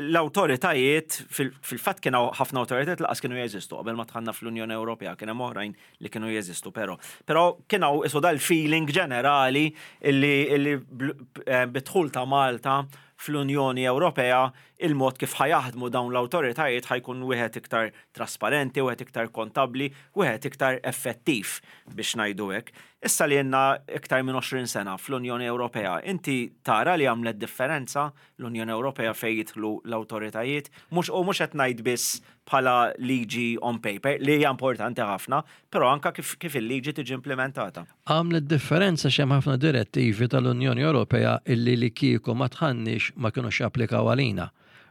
l-awtoritajiet, fil-fatt kien hawn ħafna awtoritajiet laqas kienu jeżistu qabel ma dħalna fl-Unjoni Ewropea, kien hemm oħrajn li kienu jeżistu però. Però kien hawn isu dal-feeling ġenerali li bid-dħul ta' Malta fl-Unjoni Ewropea il-mod kif ħa jaħdmu dawn l-awtoritajiet ħa jkun wieħed iktar trasparenti, wieħed iktar kontabbli, wieħed iktar effettiv biex ngħidu hekk. Issa li ilna iktar minn 20 sena fl-Unjoni Ewropea, inti tara li għamlet differenza l-Unjoni Ewropea fejn jidħlu l-awtoritajiet? Mhux u mhux qed ngħid biss bħala liġi on paper, li hija importanti ħafna, però anka kif, kif il-liġi tiġi implimentata. Għamlet differenza x'hemm ħafna direttivi tal-Unjoni Ewropea illi li kieku ma dħalniex ma kinux japplikaw għalina.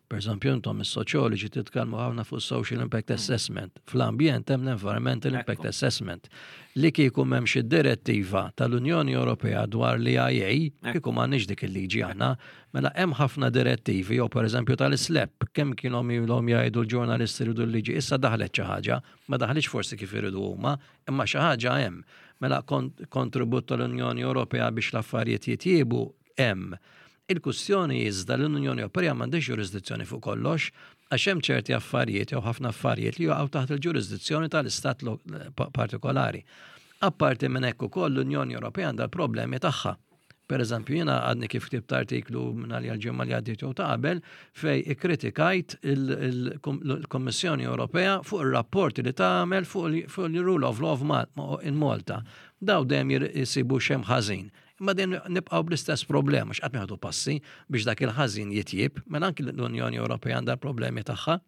Per eżempju, intom is-soċjoloġi titkellmu ħafna fuq social impact assessment. Fl-ambjent hemm l-environmental impact assessment. Li kieku m'hemmx id-direttiva tal-Unjoni Ewropea dwar l-EIA, kieku m'għandniex dik il-liġi aħna. Mela hemm ħafna direttivi, jew per eżempju tal-SLAPP, kemm kienhom ilhom jgħidu l-ġurnalisti jridu l-liġi, issa daħlet xi ħaġa, ma daħlitx forsi kif iridu huma, imma xi ħaġa hemm. Mela kontribut tal-Unjoni Ewropea biex l-affarijiet jitjiebu hemm. Il-kwistjoni iżda li l-Unjoni Ewropea m'għandhiex ġurisdizzjoni fuq kollox, għax hemm ċerti affarijiet jew ħafna affarijiet li jaqgħu taħt il-ġurisdizzjoni tal-istat partikolari. Apparti minn hekk ukoll l-Unjoni Ewropea għandha l-problemi tagħha. Per eżempju, jiena għadni kif ktibt artiklu minn għalija l-ġimgħa li għaddiet jew ta' qabel fej ikkritikajt il-Kommissjoni Ewropea fuq ir-rapporti li tagħmel fuq il-rule of law in Malta. Daw dejjem jisibu x'hemm ħażin. Imma dejjem nibqgħu bl-istess problema x'qatt ma passi biex dak il-ħażin jitjib, mela anki l-Unjoni Ewropea għandha problemi tagħha.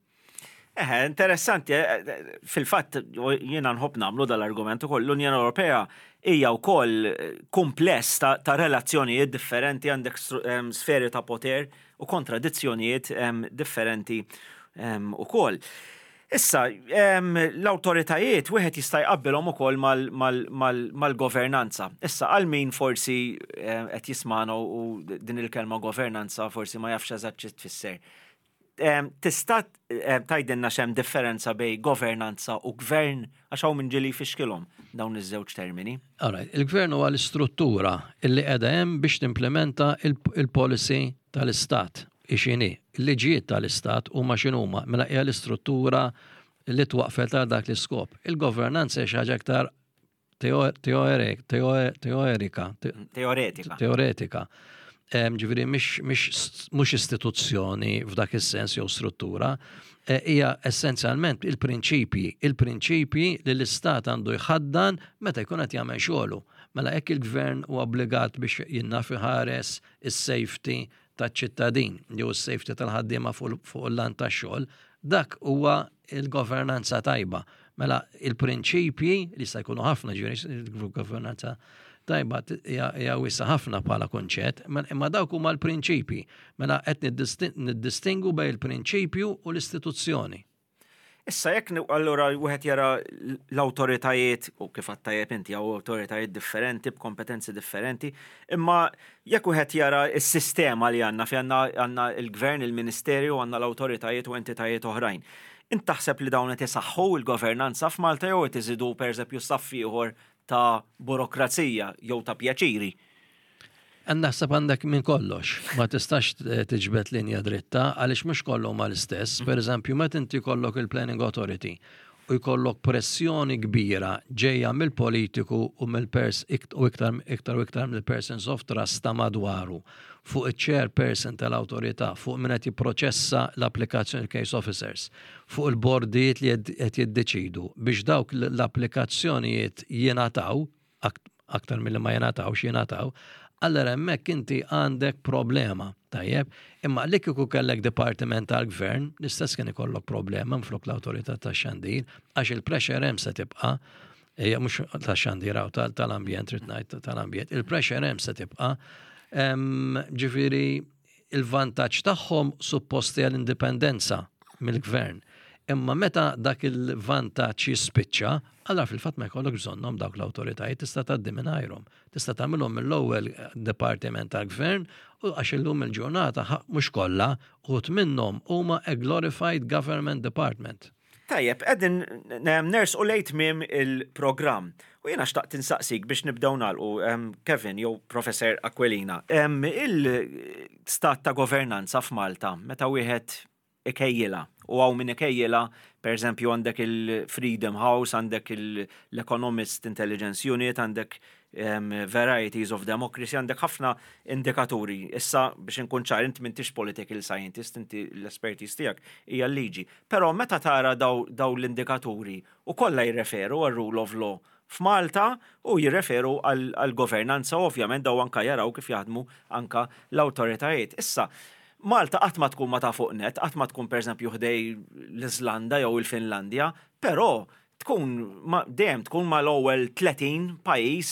Eħe, interessanti, fil-fatt jiena nħobb nagħmlu dal-argument ukoll l-Unjoni Ewropea hija wkoll kumpless ta' relazzjonijiet differenti għandek sferi ta' poter u kontradizzjonijiet differenti ukoll. Issa, l-awtoritajiet wieħed jista' jqabbilhom ukoll mal-governanza. Issa, għal min forsi qed jismagħna u din il-kelma governanza forsi ma jafx eżatt xi tfisser. Tista' tgħidilna x'hemm differenza bejn governanza u gvern għax hawn min ġieli jfixkilhom dawn iż-żewġ termini. Alright, il-gvern huwa l-istruttura li qiegħda hemm biex timplementa il-policy tal-istat. Hi x'inhi. Il-liġijiet tal-istat huma x'inhuma, mela hija l-istruttura li twaqqfet għal dak l-iskop. Il-governanza hija xi ħaġa iktar teorika. Teoretika. Teoretika. Ġifieri mhux istituzzjoni f'dak is-sens jew struttura, e, hija essenzjalment il-prinċipji, il-prinċipji li l-istat għandu jħaddan meta jkun qed jagħmel xogħlu. Mela hekk il-gvern huwa obbligat biex jinnaf iħares is-safety taċ-ċittadin jew is-safety tal-ħaddiema fuq il-lant tax-xogħol, dak huwa l-governanza tajba. Mela il-prinċipji li jista' jkunu ħafna ġifieri il-governanza tajba hija wiesa ħafna bħala kunċett, imma dawk huma l-prinċipji. Mela qed niddistingu bejn il-prinċipju u l-istituzzjoni. Issa jekk allura wieħed jara l-awtoritajiet u kif għadt tajjeb inti hawn awtoritajiet differenti b'kompetenzi differenti, imma jekk wieħed jara s-sistema li għandna fejn għandna għandna l-gvern, il-ministeri u għandna l-awtoritajiet u entitajiet oħrajn. Int taħseb li dawn qed isaħħu l-governanza f'Malta jew qed iżidu pereżempju saff ieħor ta' burokrazija jew ta' pjaċiri? Naħseb għandek minn kollox, ma tistax tiġbed linja dritta għaliex mhux kollu huma l-istess. Per eżempju, meta inti jkollok il-Planning Authority u jkollok pressjoni kbira ġejja mill-politiku u mill-pers u iktar iktar u iktar mill-persons of trust ta' madwaru fuq iċ-chairperson tal-awtorità, fuq min qed jipproċessa l-applikazzjoni case officers, fuq il-bordijiet li qed jiddeċidu biex dawk l-applikazzjonijiet jingħataw aktar milli ma jingħatawx jingħataw, allura hemmhekk inti għandek problema, tajjeb? Imma li kieku kellek dipartiment tal-gvern, l-istess kien ikollok problema minflok l-awtorità tax-xandir, għax il-pressure hemm se tibqa' hija mhux tax-xandir hawn tal-ambjent trid ngħid tal-ambjent, il-pressure hemm se tibqa'. Ġifieri il-vantaġġ tagħhom suppost hija l-indipendenza mill-gvern. Imma meta dak il-vantaġġ jispiċċa, allura fil-fatt ma jkollok bżonnhom dawk l-awtoritajiet tista' tgħaddi mingħajrhom. Tista' tagħmilhom mill-ewwel dipartiment tal-gvern u għax illum il-ġurnata mhux kollha, uħud minnhom huma a glorified government department. Tajjeb, qegħdin nersqu lejn tmiem il-programm. U jiena xtaqt insaqsik biex nibdew nagħlqu, Kevin jew Professor Aquilina, il-stat ta' governanza f'Malta meta wieħed ikejjilha, u hawn min ikejjilha, pereżempju għandek il-Freedom House, għandek l-Economist Intelligence Unit, għandek Varieties of Democracy, għandek ħafna indikaturi. Issa biex inkun ċar, inti m'intix political scientist, inti l-expertise tiegħek hija l-liġi. Però meta tara daw l-indikaturi u kollha jirreferu għar-rule of law f'Malta u jirreferu għall-governanza u ovvjament daw anka jaraw kif jaħdmu anka l-awtoritajiet. Issa, Malta qatt ma tkun ma ta' fuq nett, qatt ma tkun pereżempju ħdej l-Iżlanda jew il-Finlandja, però tkun dejjem tkun mal-ewwel 30 pajjiż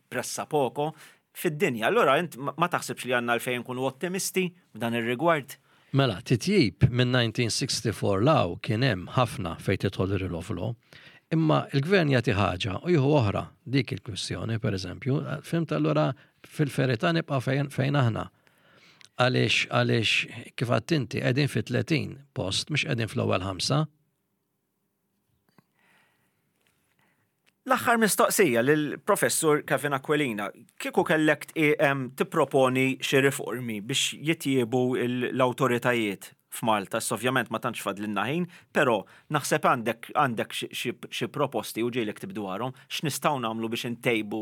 pressa poco fid-dinja. Allura int ma taħsibx li għandna għalfejn nkunu ottimisti f'dan ir-rigward? Mela, titjib minn 1964 'l hawn kien hemm ħafna fejn tidħol ir-rule of law. Imma l-gvern jagħti ħaġa u jieħu oħra, dik il-kwistjoni, pereżempju, fhimt allura fil-verità nibqgħu fejn aħna. Għaliex għaliex kif għedt inti qegħdin fi 30 post mhux qegħdin fl-ewwel ħamsa. L-aħħar mistoqsija lill-Professur Kevin Aquilina. Kieku kellek tipproponi xi riformi biex jitjiebu l-awtoritajiet f'Malta, issa ovvjament ma tantx fadlilna ħin, però naħseb għandek għandek xi proposti u ġieli ktibt dwarhom, x'nistgħu nagħmlu biex intejbu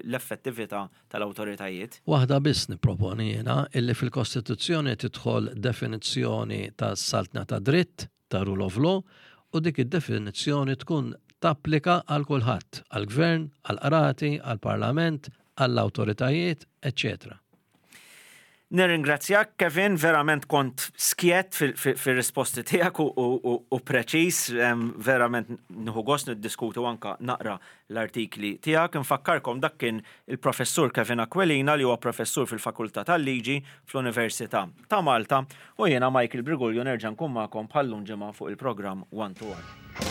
l-effettività tal-awtoritajiet? Waħda biss nipproponi jiena, illi fil-Kostituzzjoni tidħol definizzjoni tas-saltna tad-dritt, ta' rule of law u dik id-definizzjoni tkun tapplika għal kulħadd, għall-Gvern, għall-qrati, għall-Parlament, għall-awtoritajiet, eċċetera. Nirringrazzjak Kevin, verament kont skjett fir-risposti tiegħek u preċiż, verament nieħu gost niddiskutu anka naqra l-artikli tiegħek. Infakkarkom dak kien il-Professur Kevin Aquilina li huwa professur fil-Fakultà tal-Liġi fl-Università ta' Malta u jiena Michael Briguglio nerġa' nkun magħkom bħal-lum ġimgħa fuq il-programm One to One.